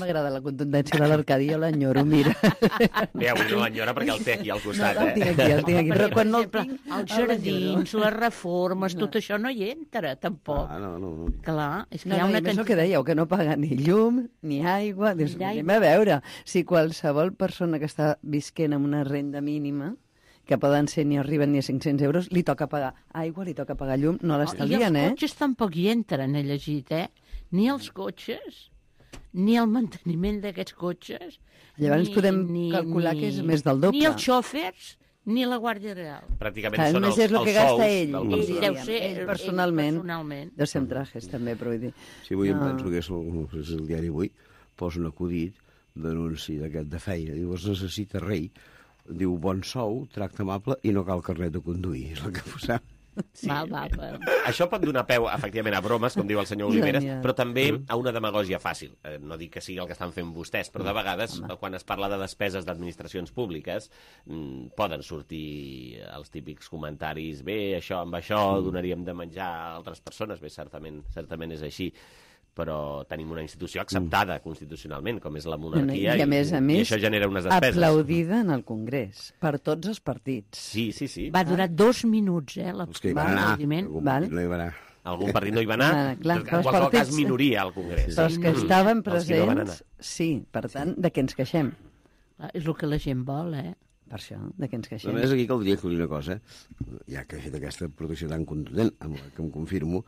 M'agrada la contundència de l'Arcadi, jo l'enyoro, mira. Bé, avui no l'enyora perquè el té aquí al costat, no, no, eh? el tinc aquí, el tinc aquí, però quan no el tinc... Els jardins, les reformes, no. tot això no hi entra, tampoc. Ah, no, no, no. Clar, és que no, hi ha no, una... No, és el que dèieu, que no paga ni llum, ni aigua... Dius, anem a veure, si qualsevol persona que està visquent amb una renda mínima, que poden ser ni arriben ni a cinc-cents euros, li toca pagar aigua, li toca pagar llum, no l'estalvien, eh? I els cotxes tampoc hi entren, he llegit, eh? Ni els cotxes. ni el manteniment d'aquests cotxes... Llavors ni, podem ni, calcular ni, que és més del doble. Ni els xòfers, ni la Guàrdia Real. Pràcticament Clar, són els, és el que els gasta sous ell, del ell, personal. deu ser, ell personalment, ell personalment. de ser amb trajes, també, però vull dir... Sí, avui no. em penso que és el, és el diari Avui, posa un acudit d'anunci d'aquest de feina. Diu, es necessita rei. Diu, bon sou, tracte amable i no cal carnet de conduir. És el que posava. Sí. Val, val, val. Això pot donar peu, efectivament, a bromes, com diu el senyor Oliveres, Genial. però també a una demagògia fàcil. Eh, no dic que sigui el que estan fent vostès, però de vegades, quan es parla de despeses d'administracions públiques, mm, poden sortir els típics comentaris, bé, això amb això donaríem de menjar a altres persones. Bé, certament, certament és així, però tenim una institució acceptada constitucionalment, com és la monarquia, I, a més a més, i això genera unes despeses. aplaudida en el Congrés, per tots els partits. Sí, sí, sí. Va durar dos minuts, eh, Els que hi van anar, algun Val. partit no hi va anar. Algun partit no hi va anar, Ah, clar, en però els qualsevol cas partits- minoria al Congrés. Però els que Mm. estaven Els que no van anar. presents, sí, per tant, de què ens queixem? Clar, és el que la gent vol, eh? Per això, de què ens queixem? Només aquí caldria que una cosa, ja que he fet aquesta protecció tan contundent, amb la que em confirmo,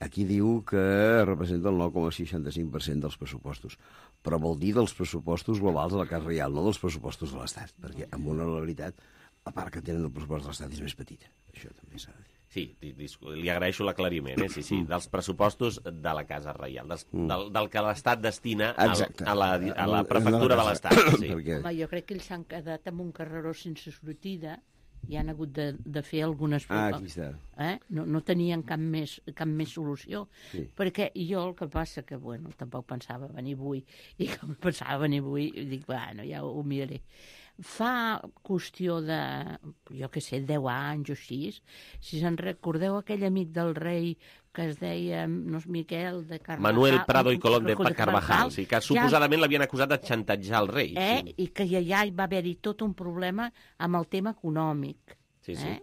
aquí diu que representa el nou coma seixanta-cinc per cent dels pressupostos, però vol dir dels pressupostos globals de la Casa Reial, no dels pressupostos de l'Estat, perquè amb una la veritat, a part que tenen el pressupost de l'Estat és més petita. Això també s'ha de dir. Sí, li agraeixo l'aclariment, eh? Sí, sí, dels pressupostos de la Casa Reial, dels, del, del que l'Estat destina al, a, la, a la prefectura de l'Estat. Sí. Perquè... Home, jo crec que ells s'han quedat amb un carreró sense sortida i han hagut de, de fer algunes... Ah, aquí està. Eh? No, no tenien cap més, cap més solució. Sí. Perquè jo el que passa que, bueno, tampoc pensava venir avui, i com pensava venir avui, dic, bueno, ja ho miraré. Fa qüestió de, jo què sé, deu anys o així, si se'n recordeu aquell amic del rei que es deia, no és Miquel, de Carvajal... Manuel Prado i Colón de Carvajal, Carvajal, sí, que suposadament l'havien acusat de xantatjar el rei. Eh? Sí. I que ja, ja hi va haver-hi tot un problema amb el tema econòmic. Sí, sí. Eh?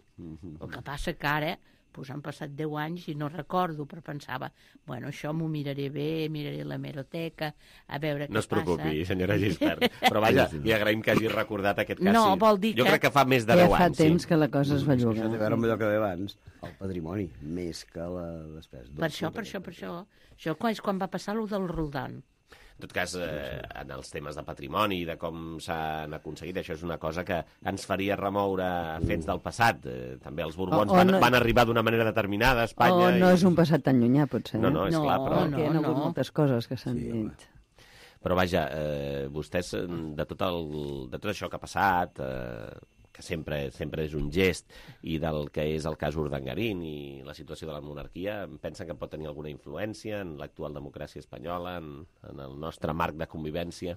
El que passa que ara pues, han passat deu anys i no recordo, però pensava, bueno, això m'ho miraré bé, miraré la meroteca, a veure què passa. No es preocupi, passa. Senyora Gispert. Però vaja, li agraïm que hagi recordat aquest cas. No, sí. vol dir jo que... crec que fa més de ja deu fa anys. temps sí. que la cosa es va Això jugar. té a veure amb allò que deia abans, el patrimoni, més que la despesa. Per això, per això, per això. Això és quan va passar el del Roldán. En tot cas, eh, en els temes de patrimoni i de com s'han aconseguit, això és una cosa que ens faria remoure fets del passat. Eh, també els Borbons O- o van, no- van arribar d'una manera determinada a Espanya. O no i... és un passat tan llunyà, potser. No, no, és eh? clar, però... Perquè hi ha hagut no. moltes coses que s'han Sí, dit. Però vaja, eh, vostès, eh, de tot, el, de tot això que ha passat, eh, que sempre, sempre és un gest, i del que és el cas Urdangarín i la situació de la monarquia, pensen que pot tenir alguna influència en l'actual democràcia espanyola, en, en el nostre marc de convivència?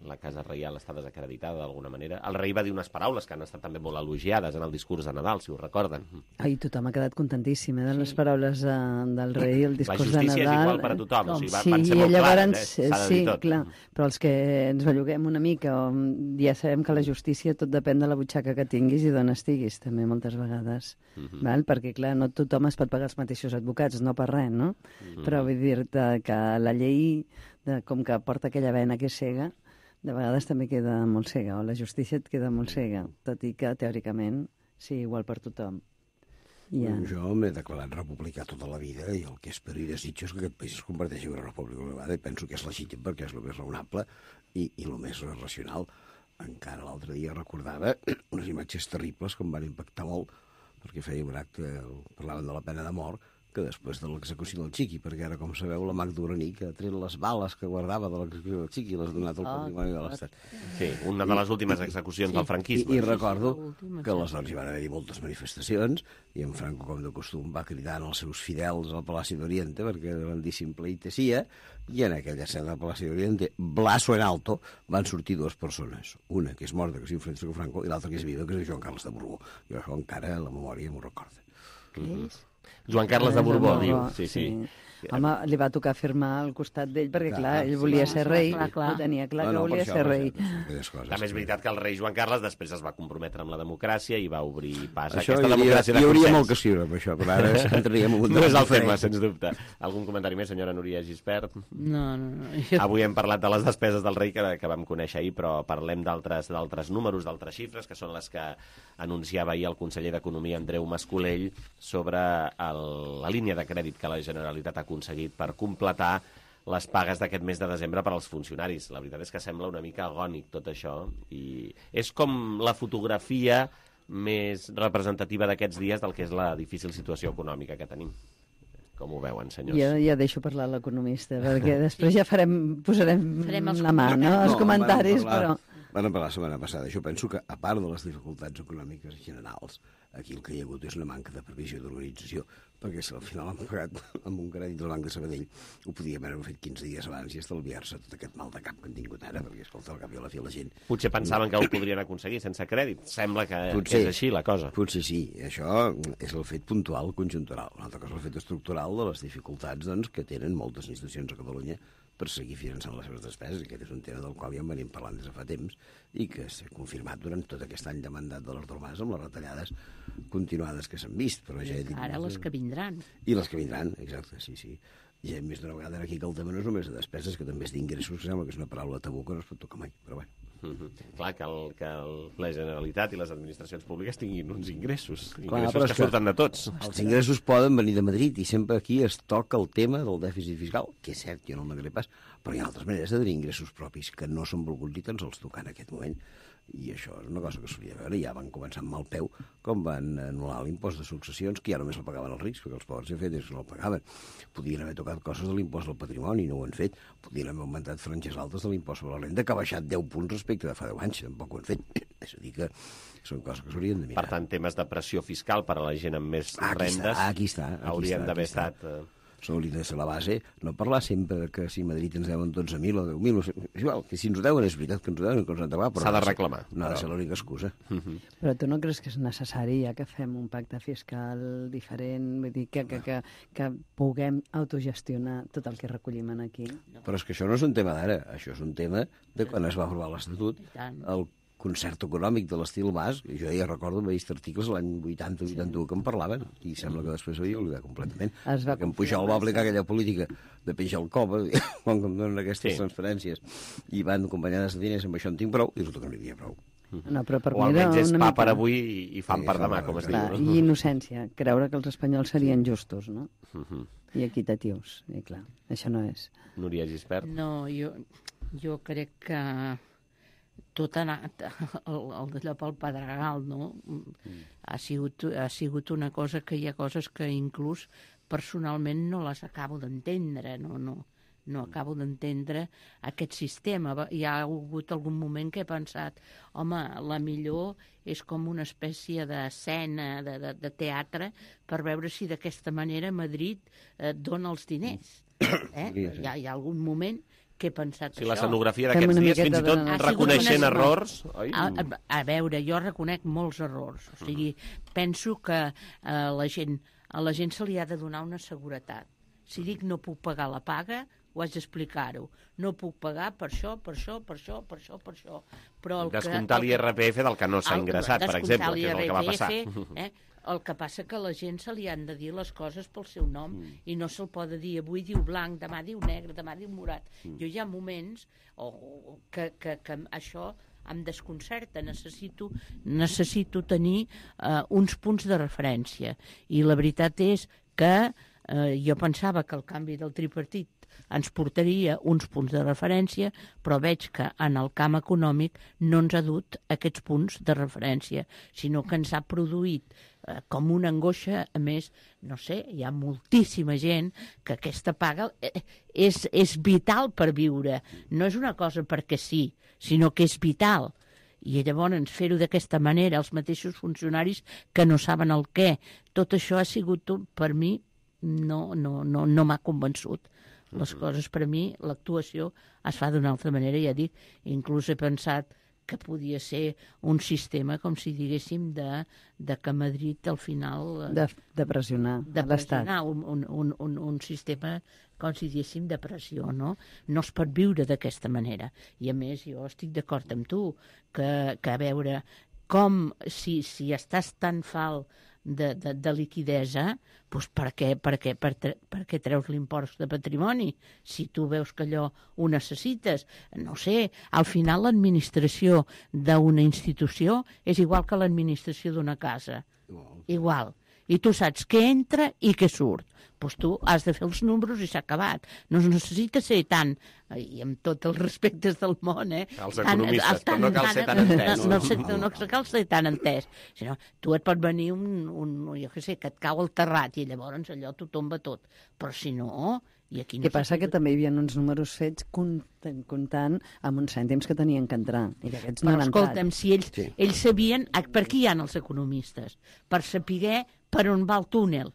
La Casa Reial està desacreditada d'alguna manera. El rei va dir unes paraules que han estat també molt elogiades en el discurs de Nadal, si ho recorden. Ai, tothom ha quedat contentíssim eh, de les paraules de, del rei, el discurs de La Nadal. justícia és igual per a tothom, o sigui, va- sí, van ser i molt llavors, clares, eh? S'ha de dir sí, tot. clar, però els que ens belluguem una mica, o, ja sabem que la justícia tot depèn de la butxaca que tinguis i d'on estiguis, també moltes vegades, Mm -hmm. val? Perquè clar, no tothom es pot pagar els mateixos advocats, no per res, no? Mm -hmm. Però vull dir-te que la llei, de, com que porta aquella vena que és cega, de vegades també queda molt cega, o la justícia et queda molt cega, tot i que teòricament sí, igual per tothom. Ja. Yeah. Jo m'he declarat republicà tota la vida i el que espero i desitjo és que aquest país es converteixi en una república elevada i penso que és legítim perquè és el més raonable i, i el més racional. Encara l'altre dia recordava unes imatges terribles que em van impactar molt perquè feia un acte, parlaven de la pena de mort, que després de l'execució del Chiqui, perquè ara, com sabeu, la Magda Uraní, que ha tret les bales que guardava de l'execució del Chiqui i les ha donat al patrimoni de l'Estat. Sí, una de les últimes execucions Sí. del franquisme. I, I recordo que aleshores hi van haver moltes manifestacions i en Franco, com de costum, va cridant els seus fidels al Palaci d'Oriente perquè van dir simple i tesia, i en aquella escena del Palaci d'Oriente, blaso en alto, van sortir dues persones. Una que és morta, que és Francisco Franco, i l'altra que és viva, que és Joan Carles de Borbó. Jo això encara la memòria m'ho recorda. Què és? Joan Carles de Borbó, diu. Sí, sí. sí. Home, li va tocar firmar al costat d'ell perquè, clar, Clar, ell sí, volia sí, ser sí, rei, clar, clar. ho tenia clar No, que no, per volia això, ser per rei. També és veritat que el rei Joan Carles després es va comprometre amb la democràcia i va obrir pas a Això aquesta hi hauria- democràcia de hi hauria consens. molt que escriure amb això, però ara entraríem en un No és el debat tema, diferent. sens dubte. Algun comentari més, senyora Núria Gispert? No, no, no. Avui hem parlat de les despeses del rei que, que vam conèixer ahir, però parlem d'altres d'altres números, d'altres xifres, que són les que anunciava ahir el conseller d'Economia, Andreu Mascolell, sobre el, la línia de crèdit que la Generalitat ha aconseguit per completar les pagues d'aquest mes de desembre per als funcionaris. La veritat és que sembla una mica agònic tot això, i és com la fotografia més representativa d'aquests dies del que és la difícil situació econòmica que tenim. Com ho veuen, senyors? Jo ja deixo parlar l'economista, perquè després ja farem, posarem Farem els la mà, no? Els comentaris, però... Van parlar la setmana passada. Jo penso que, a part de les dificultats econòmiques generals, aquí el que hi ha hagut és una manca de previsió d'organització, perquè si al final han pagat amb un crèdit del Banc de Sabadell, ho podíem haver fet quinze dies abans i estalviar-se tot aquest mal de cap que han tingut ara, perquè, escolta, al cap i a la fi la gent... Potser pensaven que ho podrien aconseguir sense crèdit. Sembla que, potser, que és així la cosa. Potser sí. Això és el fet puntual conjuntural. Una altra cosa és el fet estructural de les dificultats doncs, que tenen moltes institucions a Catalunya per seguir finançant les seves despeses. Aquest és un tema del qual ja en venim parlant des de fa temps i que s'ha confirmat durant tot aquest any de mandat de l'Artur Mas amb les retallades continuades que s'han vist. Però ja dic, ara les que vindran. I les que vindran, exacte, sí, sí. Ja hem vist una vegada aquí que el tema no és només de despeses, que també és d'ingressos, que sembla que és una paraula tabú que no es pot tocar mai, però bé. Mm-hmm. Clar, que, el, que el, la Generalitat i les administracions públiques tinguin uns ingressos, Clar, ingressos que surten de tots. Els ingressos poden venir de Madrid i sempre aquí es toca el tema del dèficit fiscal, que és cert, jo no el negaré pas, però hi ha altres maneres de tenir ingressos propis que no són volguts i tan sols tocar en aquest moment. I això és una cosa que s'hauria de veure. Ja van començar amb mal peu, com van anul·lar l'impost de successions, que ja només el pagaven els rics, perquè els pobres ja fet és que no el pagaven. Podien haver tocat coses de l'impost del patrimoni, no ho han fet. Podien haver augmentat franges altes de l'impost sobre la renda, que ha baixat deu punts respecte de fa deu anys, tampoc ho han fet. És a dir, que són coses que s'haurien de mirar. Per tant, temes de pressió fiscal per a la gent amb més aquí rendes està, aquí està, aquí haurien està, d'haver està. estat... Eh... Això hauria de ser la base, no parlar sempre que si Madrid ens deuen dotze mil o deu mil, igual, que si ens ho deuen és veritat que ens ho deuen, que ens ho han de pagar, però s'ha de reclamar. No ha de ser l'única excusa. Mm-hmm. Però tu no creus que és necessari ja que fem un pacte fiscal diferent, vull dir, que, que, que, que puguem autogestionar tot el que recollim aquí? Però és que això no és un tema d'ara, això és un tema de quan es va aprovar l'Estatut, el concert econòmic de l'estil Mas, jo ja recordo haver vist articles l'any vuitanta vuitanta-u que en parlaven, i sembla que després havia oblidat completament. Que en Pujol va aplicar aquella política de penjar el cova, quan em donen aquestes sí. transferències, i van acompanyades de diners, amb això en tinc prou, i resulta que no hi havia prou. No, però per o almenys és pa per avui i fam per demà, com es diu. Clar, i innocència, creure que els espanyols serien justos, no? Uh-huh. I equitatius, i clar, això no és. Núria Gispert? No, jo, jo crec que tot ha anat el, el d'allò pel pedregal, no? Mm. Ha, sigut, ha sigut una cosa que hi ha coses que inclús personalment no les acabo d'entendre, no, no, no acabo d'entendre aquest sistema. Hi ha hagut algun moment que he pensat, home, la millor és com una espècie d'escena, de, de, de teatre, per veure si d'aquesta manera Madrid eh, dona els diners. Eh? Hi ha, hi ha algun moment que he pensat sí, això. La escenografia d'aquests dies, fins i tot reconeixent errors... Oi? A, a, a veure, jo reconec molts errors. O sigui, penso que a la gent, a la gent se li ha de donar una seguretat. Si dic no puc pagar la paga, ho haig d'explicar-ho. No puc pagar per això, per això, per això, per això, per això. Però el descomptar l'I R P F del que no s'ha ingressat, per exemple, que és el que va passar. Eh? El que passa que a la gent se li han de dir les coses pel seu nom mm. i no se'l pot dir avui diu blanc, demà diu negre, demà diu morat. Mm. Jo hi ha moments oh, que, que, que això em desconcerta, necessito, necessito tenir uh, uns punts de referència. I la veritat és que uh, jo pensava que el canvi del tripartit ens portaria uns punts de referència, però veig que en el camp econòmic no ens ha dut aquests punts de referència, sinó que ens ha produït eh, com una angoixa. A més, no sé, hi ha moltíssima gent que aquesta paga eh, és, és vital per viure. No és una cosa perquè sí, sinó que és vital. I llavors fer-ho d'aquesta manera, els mateixos funcionaris que no saben el què. Tot això ha sigut, per mi, no, no, no, no m'ha convençut. Les coses, per a mi, l'actuació es fa d'una altra manera, ja dic, inclús he pensat que podia ser un sistema, com si diguéssim, de, de que Madrid al final... De, de pressionar de l'Estat. pressionar, un, un, un, un sistema, com si diguéssim, de pressió, no? No es pot viure d'aquesta manera. I a més, jo estic d'acord amb tu, que, que a veure com, si, si estàs tan fal de, de, de liquidesa, doncs per què, per què, per, per què treus l'impost de patrimoni? Si tu veus que allò ho necessites, no sé, al final l'administració d'una institució és igual que l'administració d'una casa. Igual. i tu saps què entra i què surt. Doncs tu has de fer els números i s'ha acabat. No es necessita ser tan, i amb tots els respectes del món, eh? Els economistes, però no cal ser tan entès. No, no, no, no cal ser tan entès. Sinó, tu et pot venir un, un, jo què sé, que et cau el terrat i llavors allò t'ho tomba tot. Però si no... I aquí no Què passa? Que també hi havia uns números fets comptant, comptant amb uns cèntims que tenien que entrar. I aquests no Però han escolta'm, entrat. si ells, sí. ells sabien... Per qui hi ha els economistes? Per saber per on va el túnel.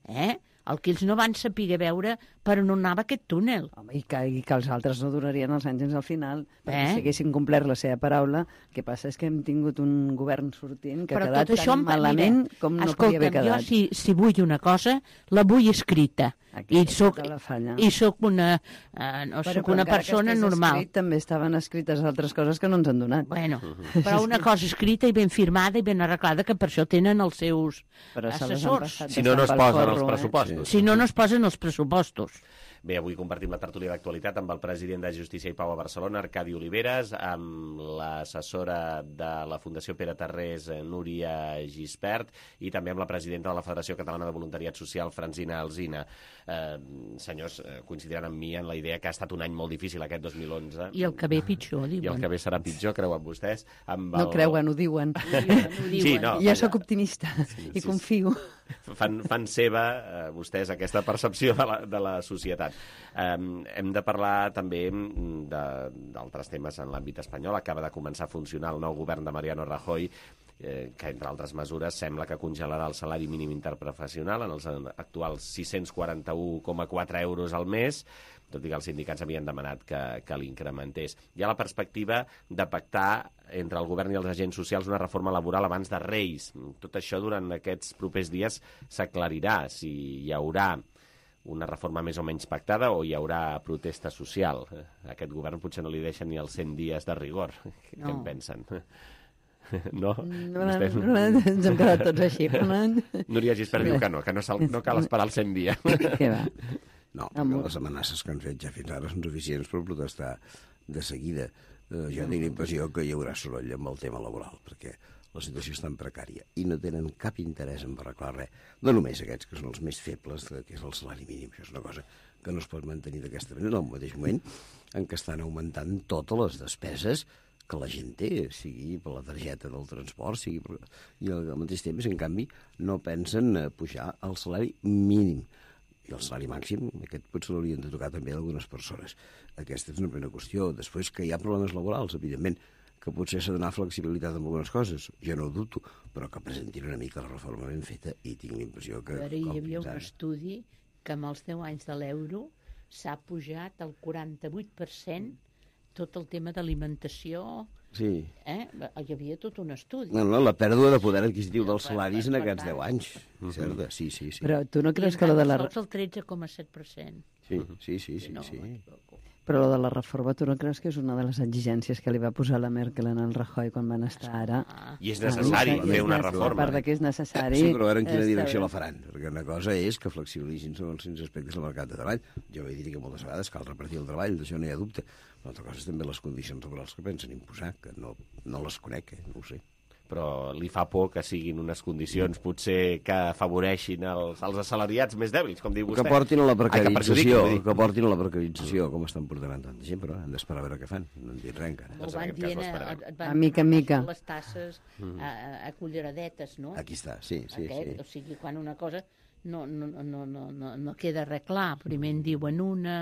Eh? El que ells no van saber veure per on anava aquest túnel. Home, i, que, I que els altres no durarien els anys fins al final, perquè Eh? si haguessin complert la seva paraula, el que passa és que hem tingut un govern sortint que Però ha quedat tot això tan em- malament mira, com no escolta'm, podia haver quedat. jo si, si vull una cosa, la vull escrita. Aquí I soc, la falla. i soc una, eh, no, Però soc com una encara que persona estigués normal. Escrit, també estaven escrites altres coses que no ens han donat. Bueno, però una cosa escrita i ben firmada i ben arreglada, que per això tenen els seus Però se les han assessors. passat Si no, no es pel posen forro, els eh? pressupostos. Si no, no es posen els pressupostos. Bé, avui compartim la tertúlia d'actualitat amb el president de Justícia i Pau a Barcelona, Arcadi Oliveres, amb l'assessora de la Fundació Pere Tarrés, eh, Núria Gispert, i també amb la presidenta de la Federació Catalana de Voluntariat Social, Francina Alsina. Eh, senyors, eh, coincidiran amb mi en la idea que ha estat un any molt difícil aquest dos mil onze. I el que ve pitjor, diuen. I el que ve serà pitjor, creuen vostès. Amb No el... creuen, ho diuen. Ho diuen, ho diuen. Sí, no, jo vaja. sóc optimista Sí, i sí, confio. Fan, fan seva, eh, vostès, aquesta percepció de la, de la societat. Eh, hem de parlar també de- d'altres temes en l'àmbit espanyol. Acaba de començar a funcionar el nou govern de Mariano Rajoy, eh, que, entre altres mesures, sembla que congelarà el salari mínim interprofessional en els actuals sis-cents quaranta-un coma quatre euros al mes, tot i que els sindicats havien demanat que, que l'incrementés. Hi ha la perspectiva de pactar entre el govern i els agents socials una reforma laboral abans de Reis. Tot això durant aquests propers dies s'aclarirà si hi haurà una reforma més o menys pactada o hi haurà protesta social. A aquest govern potser no li deixen ni els cent dies de rigor. Què No. en pensen? No? No, Vostès- no, no, ens hem quedat tots així. Núria Gispert diu que no, que no, no cal esperar els cent dies. Què va? No, perquè les amenaces que han fet ja fins ara són suficients per protestar de seguida. Eh, jo tinc la impressió que hi haurà soroll amb el tema laboral, perquè la situació és tan precària i no tenen cap interès en arreglar res. No només aquests, que són els més febles, que és el salari mínim. Això és una cosa que no es pot mantenir d'aquesta manera, al mateix moment en què estan augmentant totes les despeses que la gent té, sigui per la targeta del transport, sigui per... i al mateix temps, en canvi, no pensen a pujar el salari mínim. I el salari màxim, aquest potser l'haurien de tocar també a algunes persones. Aquesta és una primera qüestió. Després, que hi ha problemes laborals, evidentment, que potser s'ha de donar flexibilitat en algunes coses, jo no ho dubto, però que presentin una mica la reforma ben feta i tinc la impressió que... Però hi com havia fins un ara- estudi que amb els deu anys de l'euro s'ha pujat el quaranta-vuit per cent tot el tema d'alimentació. Sí. Eh? Hi havia tot un estudi. No, no, la pèrdua de poder adquisitiu dels salaris en aquests deu anys. Certa, sí, sí, sí. Però tu no creus I que lo de en la... canvi sols el tretze coma set per cent. Sí, sí, sí, sí, No, sí. Però lo de la reforma, tu no creus que és una de les exigències que li va posar la Merkel en el Rajoy quan van estar ara? I és necessari Ah, fer és una necessari, reforma. A part de que és necessari... Sí, però a veure en quina està direcció bé. la faran, perquè una cosa és que flexibilitzin segons quins aspectes del mercat de treball. Jo vaig dir que moltes vegades cal repartir el treball, d'això no hi ha dubte. Però altra cosa és també les condicions laborals que pensen imposar, que no, no les conec, eh? no ho sé. Però li fa por que siguin unes condicions potser que afavoreixin els, els assalariats més dèbils, com diu vostè. Que portin a la Ai, que precarització, perjudiquin, vull dir. que portin a la precarització, com estan portant tanta gent, però hem d'esperar a veure què fan. No en dit res encara. Ho van dient, eh, et van A mica en mica. les tasses Mm. a, a, a culleradetes, no? Aquí està, sí, sí, Aquest, sí. O sigui, quan una cosa no, no, no, no, no, no queda res clar, primer en diuen una...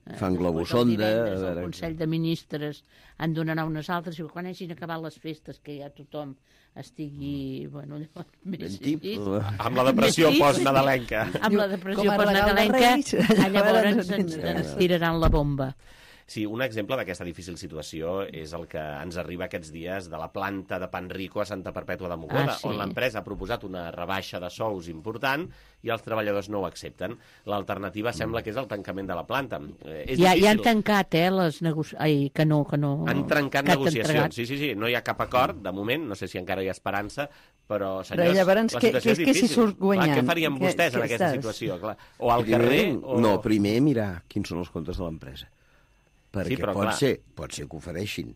eh, Fan després globusonda, el divendres a El veure- Consell de Ministres en donarà unes altres, i quan hagin acabat les festes, que ja tothom estigui... Bueno, llavors, més tip. sí. Amb la depressió Més sí. postnadalenca. Amb la Com depressió a regal de postnadalenca, Reis, ah, llavors ens ens, vindrà. ens tiraran la bomba. Sí, un exemple d'aquesta difícil situació és el que ens arriba aquests dies de la planta de Panrico a Santa Perpètua de Mogoda, Ah, sí. on l'empresa ha proposat una rebaixa de sous important i els treballadors no ho accepten. L'alternativa sembla que és el tancament de la planta. Eh, és Ja, ja difícil. han tancat, eh, les negociacions... Ai, que no, que no... Han trencat que han negociacions, entregat. sí, sí, sí, no hi ha cap acord, de moment, no sé si encara hi ha esperança, però, Però senyors, llavors, la què- situació què- és què s'hi difícil. surt guanyant? Clar, què farien Què- vostès en què aquesta estàs? situació? Clar. O al Primer, carrer... O... No, primer mirar quins són els comptes de l'empresa. Perquè Sí, però pot, clar. ser, pot ser que ofereixin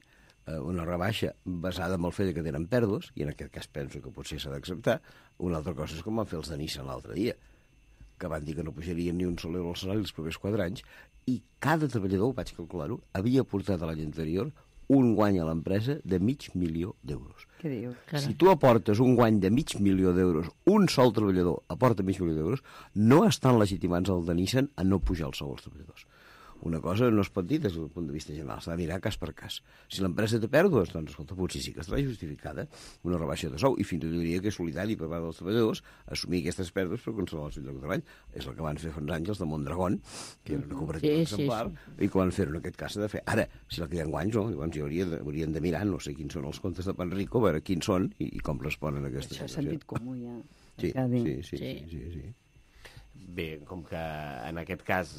una rebaixa basada en el fet que tenen pèrdues, i en aquest cas penso que potser s'ha d'acceptar. Una altra cosa és com van fer els de Nissan l'altre dia, que van dir que no pujarien ni un sol euro al salari els propers quatre anys, i cada treballador, vaig calcular-ho, havia portat l'any anterior un guany a l'empresa de mig milió d'euros. Què diu? Si tu aportes un guany de mig milió d'euros, un sol treballador aporta mig milió d'euros, no estan legitimats el de Nissan a no pujar el sou als treballadors. Una cosa no es pot dir des del punt de vista general, s'ha de mirar cas per cas. Si l'empresa té pèrdues, doncs, escolta, potser sí que estarà justificada una rebaixa de sou, i fins i tot diria que és solidari per part dels treballadors assumir aquestes pèrdues per conservar el seu lloc de treball. És el que van fer fa uns anys els de Mondragón, que era una cooperativa sí, exemplar, sí, sí. i que van fer en aquest cas s'ha de fer. Ara, si la queden guanys, no, llavors hi haurien de, haurien de mirar, no sé quins són els comptes de Panrico, a veure quins són i, i com responen a aquesta Això situació. és sentit comú, ja. Sí, sí, sí, sí, sí, sí. Bé, com que en aquest cas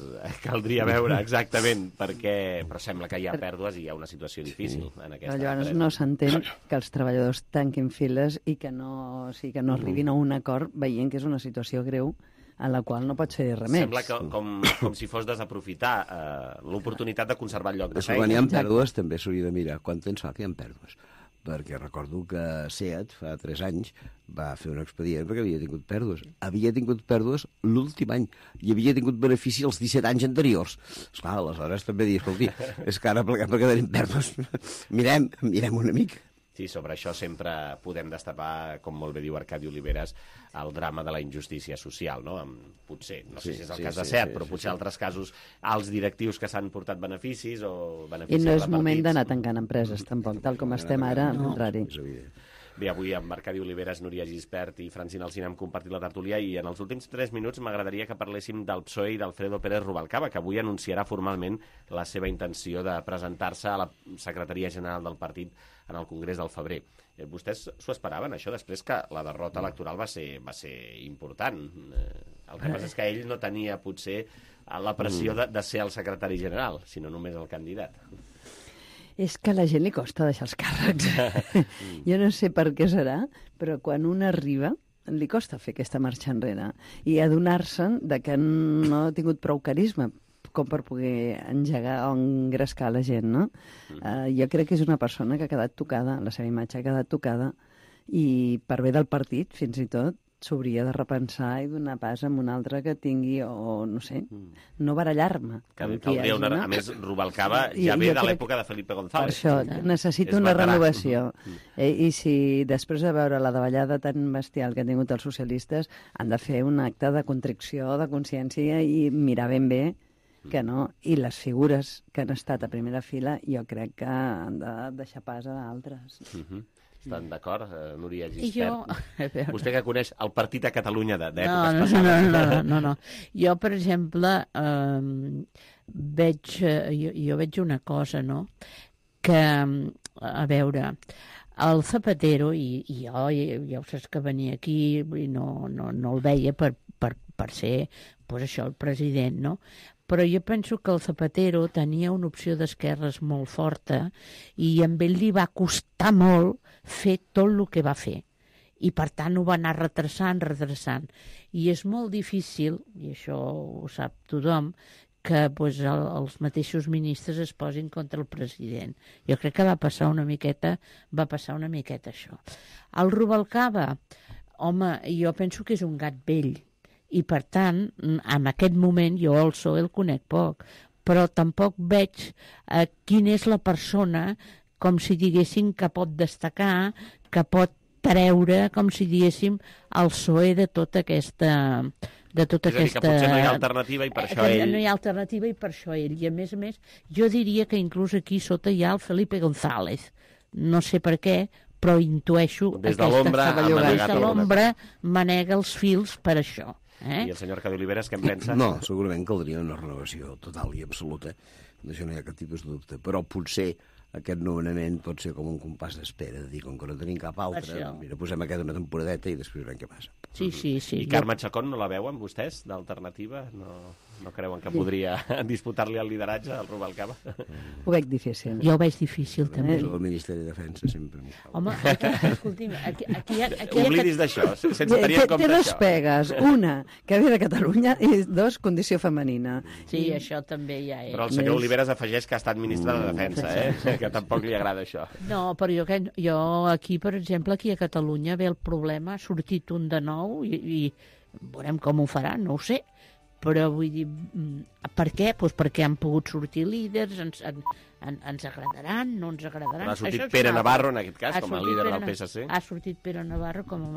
caldria veure exactament per què, però sembla que hi ha pèrdues i hi ha una situació difícil en aquesta Però llavors empresa. no s'entén que els treballadors tanquin files i que no, o sigui, que no arribin a un acord veient que és una situació greu en la qual no pots fer res més. Sembla que, com, com si fos desaprofitar eh, l'oportunitat de conservar el lloc de Això, quan hi feina. ha pèrdues, també s'hauria de mirar quant temps fa que hi ha pèrdues. Perquè recordo que SEAT, fa tres anys, va fer un expedient perquè havia tingut pèrdues. Havia tingut pèrdues l'últim any i havia tingut benefici els disset anys anteriors. Esclar, aleshores també dir, escolti, és que ara perquè tenim pèrdues. Mirem, mirem una mica. Sí, sobre això sempre podem destapar, com molt bé diu Arcadi Oliveres, el drama de la injustícia social, no? Amb, potser, no sé Sí, si és el sí, cas de sí, SEAT, sí, però sí, potser sí. altres casos, als directius que s'han portat beneficis o I beneficis no és repartits. moment d'anar tancant empreses, tampoc, tal com estem ara, al contrari. Bé, avui amb Arcadi Oliveres, Núria Gispert i Francina Alsina hem compartit la tertúlia i en els últims tres minuts m'agradaria que parléssim del P S O E i d'Alfredo Pérez Rubalcaba, que avui anunciarà formalment la seva intenció de presentar-se a la secretaria general del partit en el Congrés del febrer. Eh, vostès s'ho esperaven, això, després que la derrota electoral va ser, va ser important. Eh, el que passa és que ell no tenia, potser, la pressió de, de ser el secretari general, sinó només el candidat. És que a la gent li costa deixar els càrrecs. Jo no sé per què serà, però quan un arriba li costa fer aquesta marxa enrere i adonar-se'n de que no ha tingut prou carisma com per poder engegar o engrescar la gent, no? Uh, jo crec que és una persona que ha quedat tocada, la seva imatge ha quedat tocada, i per bé del partit, fins i tot, s'hauria de repensar i donar pas a un altre que tingui, o no sé, no barallar-me. Que caldria una... A més, Rubalcaba ja ve de l'època de Felipe González. Per això, necessito una renovació. Eh, I si després de veure la davallada tan bestial que han tingut els socialistes, han de fer un acte de contricció, de consciència i mirar ben bé que no. I les figures que han estat a primera fila jo crec que han de deixar pas a altres. Uh-huh. Estan d'acord, eh, Núria Jo... Gispert? Vostè que coneix el partit a Catalunya d'èpoques no, no, passades. No, no, no, no. Jo, per exemple, eh, veig, jo, jo veig una cosa, no?, que, a veure, el Zapatero, i, i jo ja ho saps que venia aquí i no, no, no el veia per, per, per ser, pues això, el president, no?, però jo penso que el Zapatero tenia una opció d'esquerres molt forta i amb ell li va costar molt fer tot el que va fer. I, per tant, ho va anar retrasant, retrasant. I és molt difícil, i això ho sap tothom, que pues, el, els mateixos ministres es posin contra el president. Jo crec que va passar una miqueta, va passar una miqueta això. El Rubalcaba, home, jo penso que és un gat vell, i per tant, en aquest moment jo el P S O E el conec poc, però tampoc veig eh, quina és la persona, com si diguéssim, que pot destacar, que pot treure, com si diguéssim, el P S O E de tota aquesta... de tota és a dir, aquesta... que potser no hi ha alternativa i per això que ell... No hi ha alternativa i per això ell. I a més a més, jo diria que inclús aquí sota hi ha el Felipe González. No sé per què, però intueixo... Des de l'ombra ha Des de l'ombra manega els fils per això. Eh? I el senyor Arcadi Oliveres, què en pensa? No, segurament caldria una renovació total i absoluta. D'això no hi ha cap tipus de dubte. Però potser aquest nomenament pot ser com un compàs d'espera, de dir, com que no tenim cap altre, Això. mira, posem aquest una temporadeta i després veurem què passa. Sí, sí, sí. I Carme Chacón no la veuen vostès, d'alternativa? No, No creuen que podria disputar-li el lideratge al Rubalcaba? Ho veig difícil. Jo ho veig difícil, també. El Ministeri de Defensa sempre... Home, aquí, escolti'm, aquí, aquí, hi ha... Aquí hi ha Oblidis d'això, sense tenir en compte té dos això. pegues. Una, que ve de Catalunya, i dos, condició femenina. Sí, això també ja és. Però el senyor Oliveres afegeix que ha estat ministre de Defensa, eh? Que tampoc li agrada això. No, però jo, jo aquí, per exemple, aquí a Catalunya ve el problema, ha sortit un de nou i, i veurem com ho faran, no ho sé. Però vull dir, per què? Pues perquè han pogut sortir líders, ens, en, en, ens agradaran, no ens agradaran. Ha sortit Pere Navarro, en aquest cas, com a líder del P S C. Ha sortit Pere Navarro com a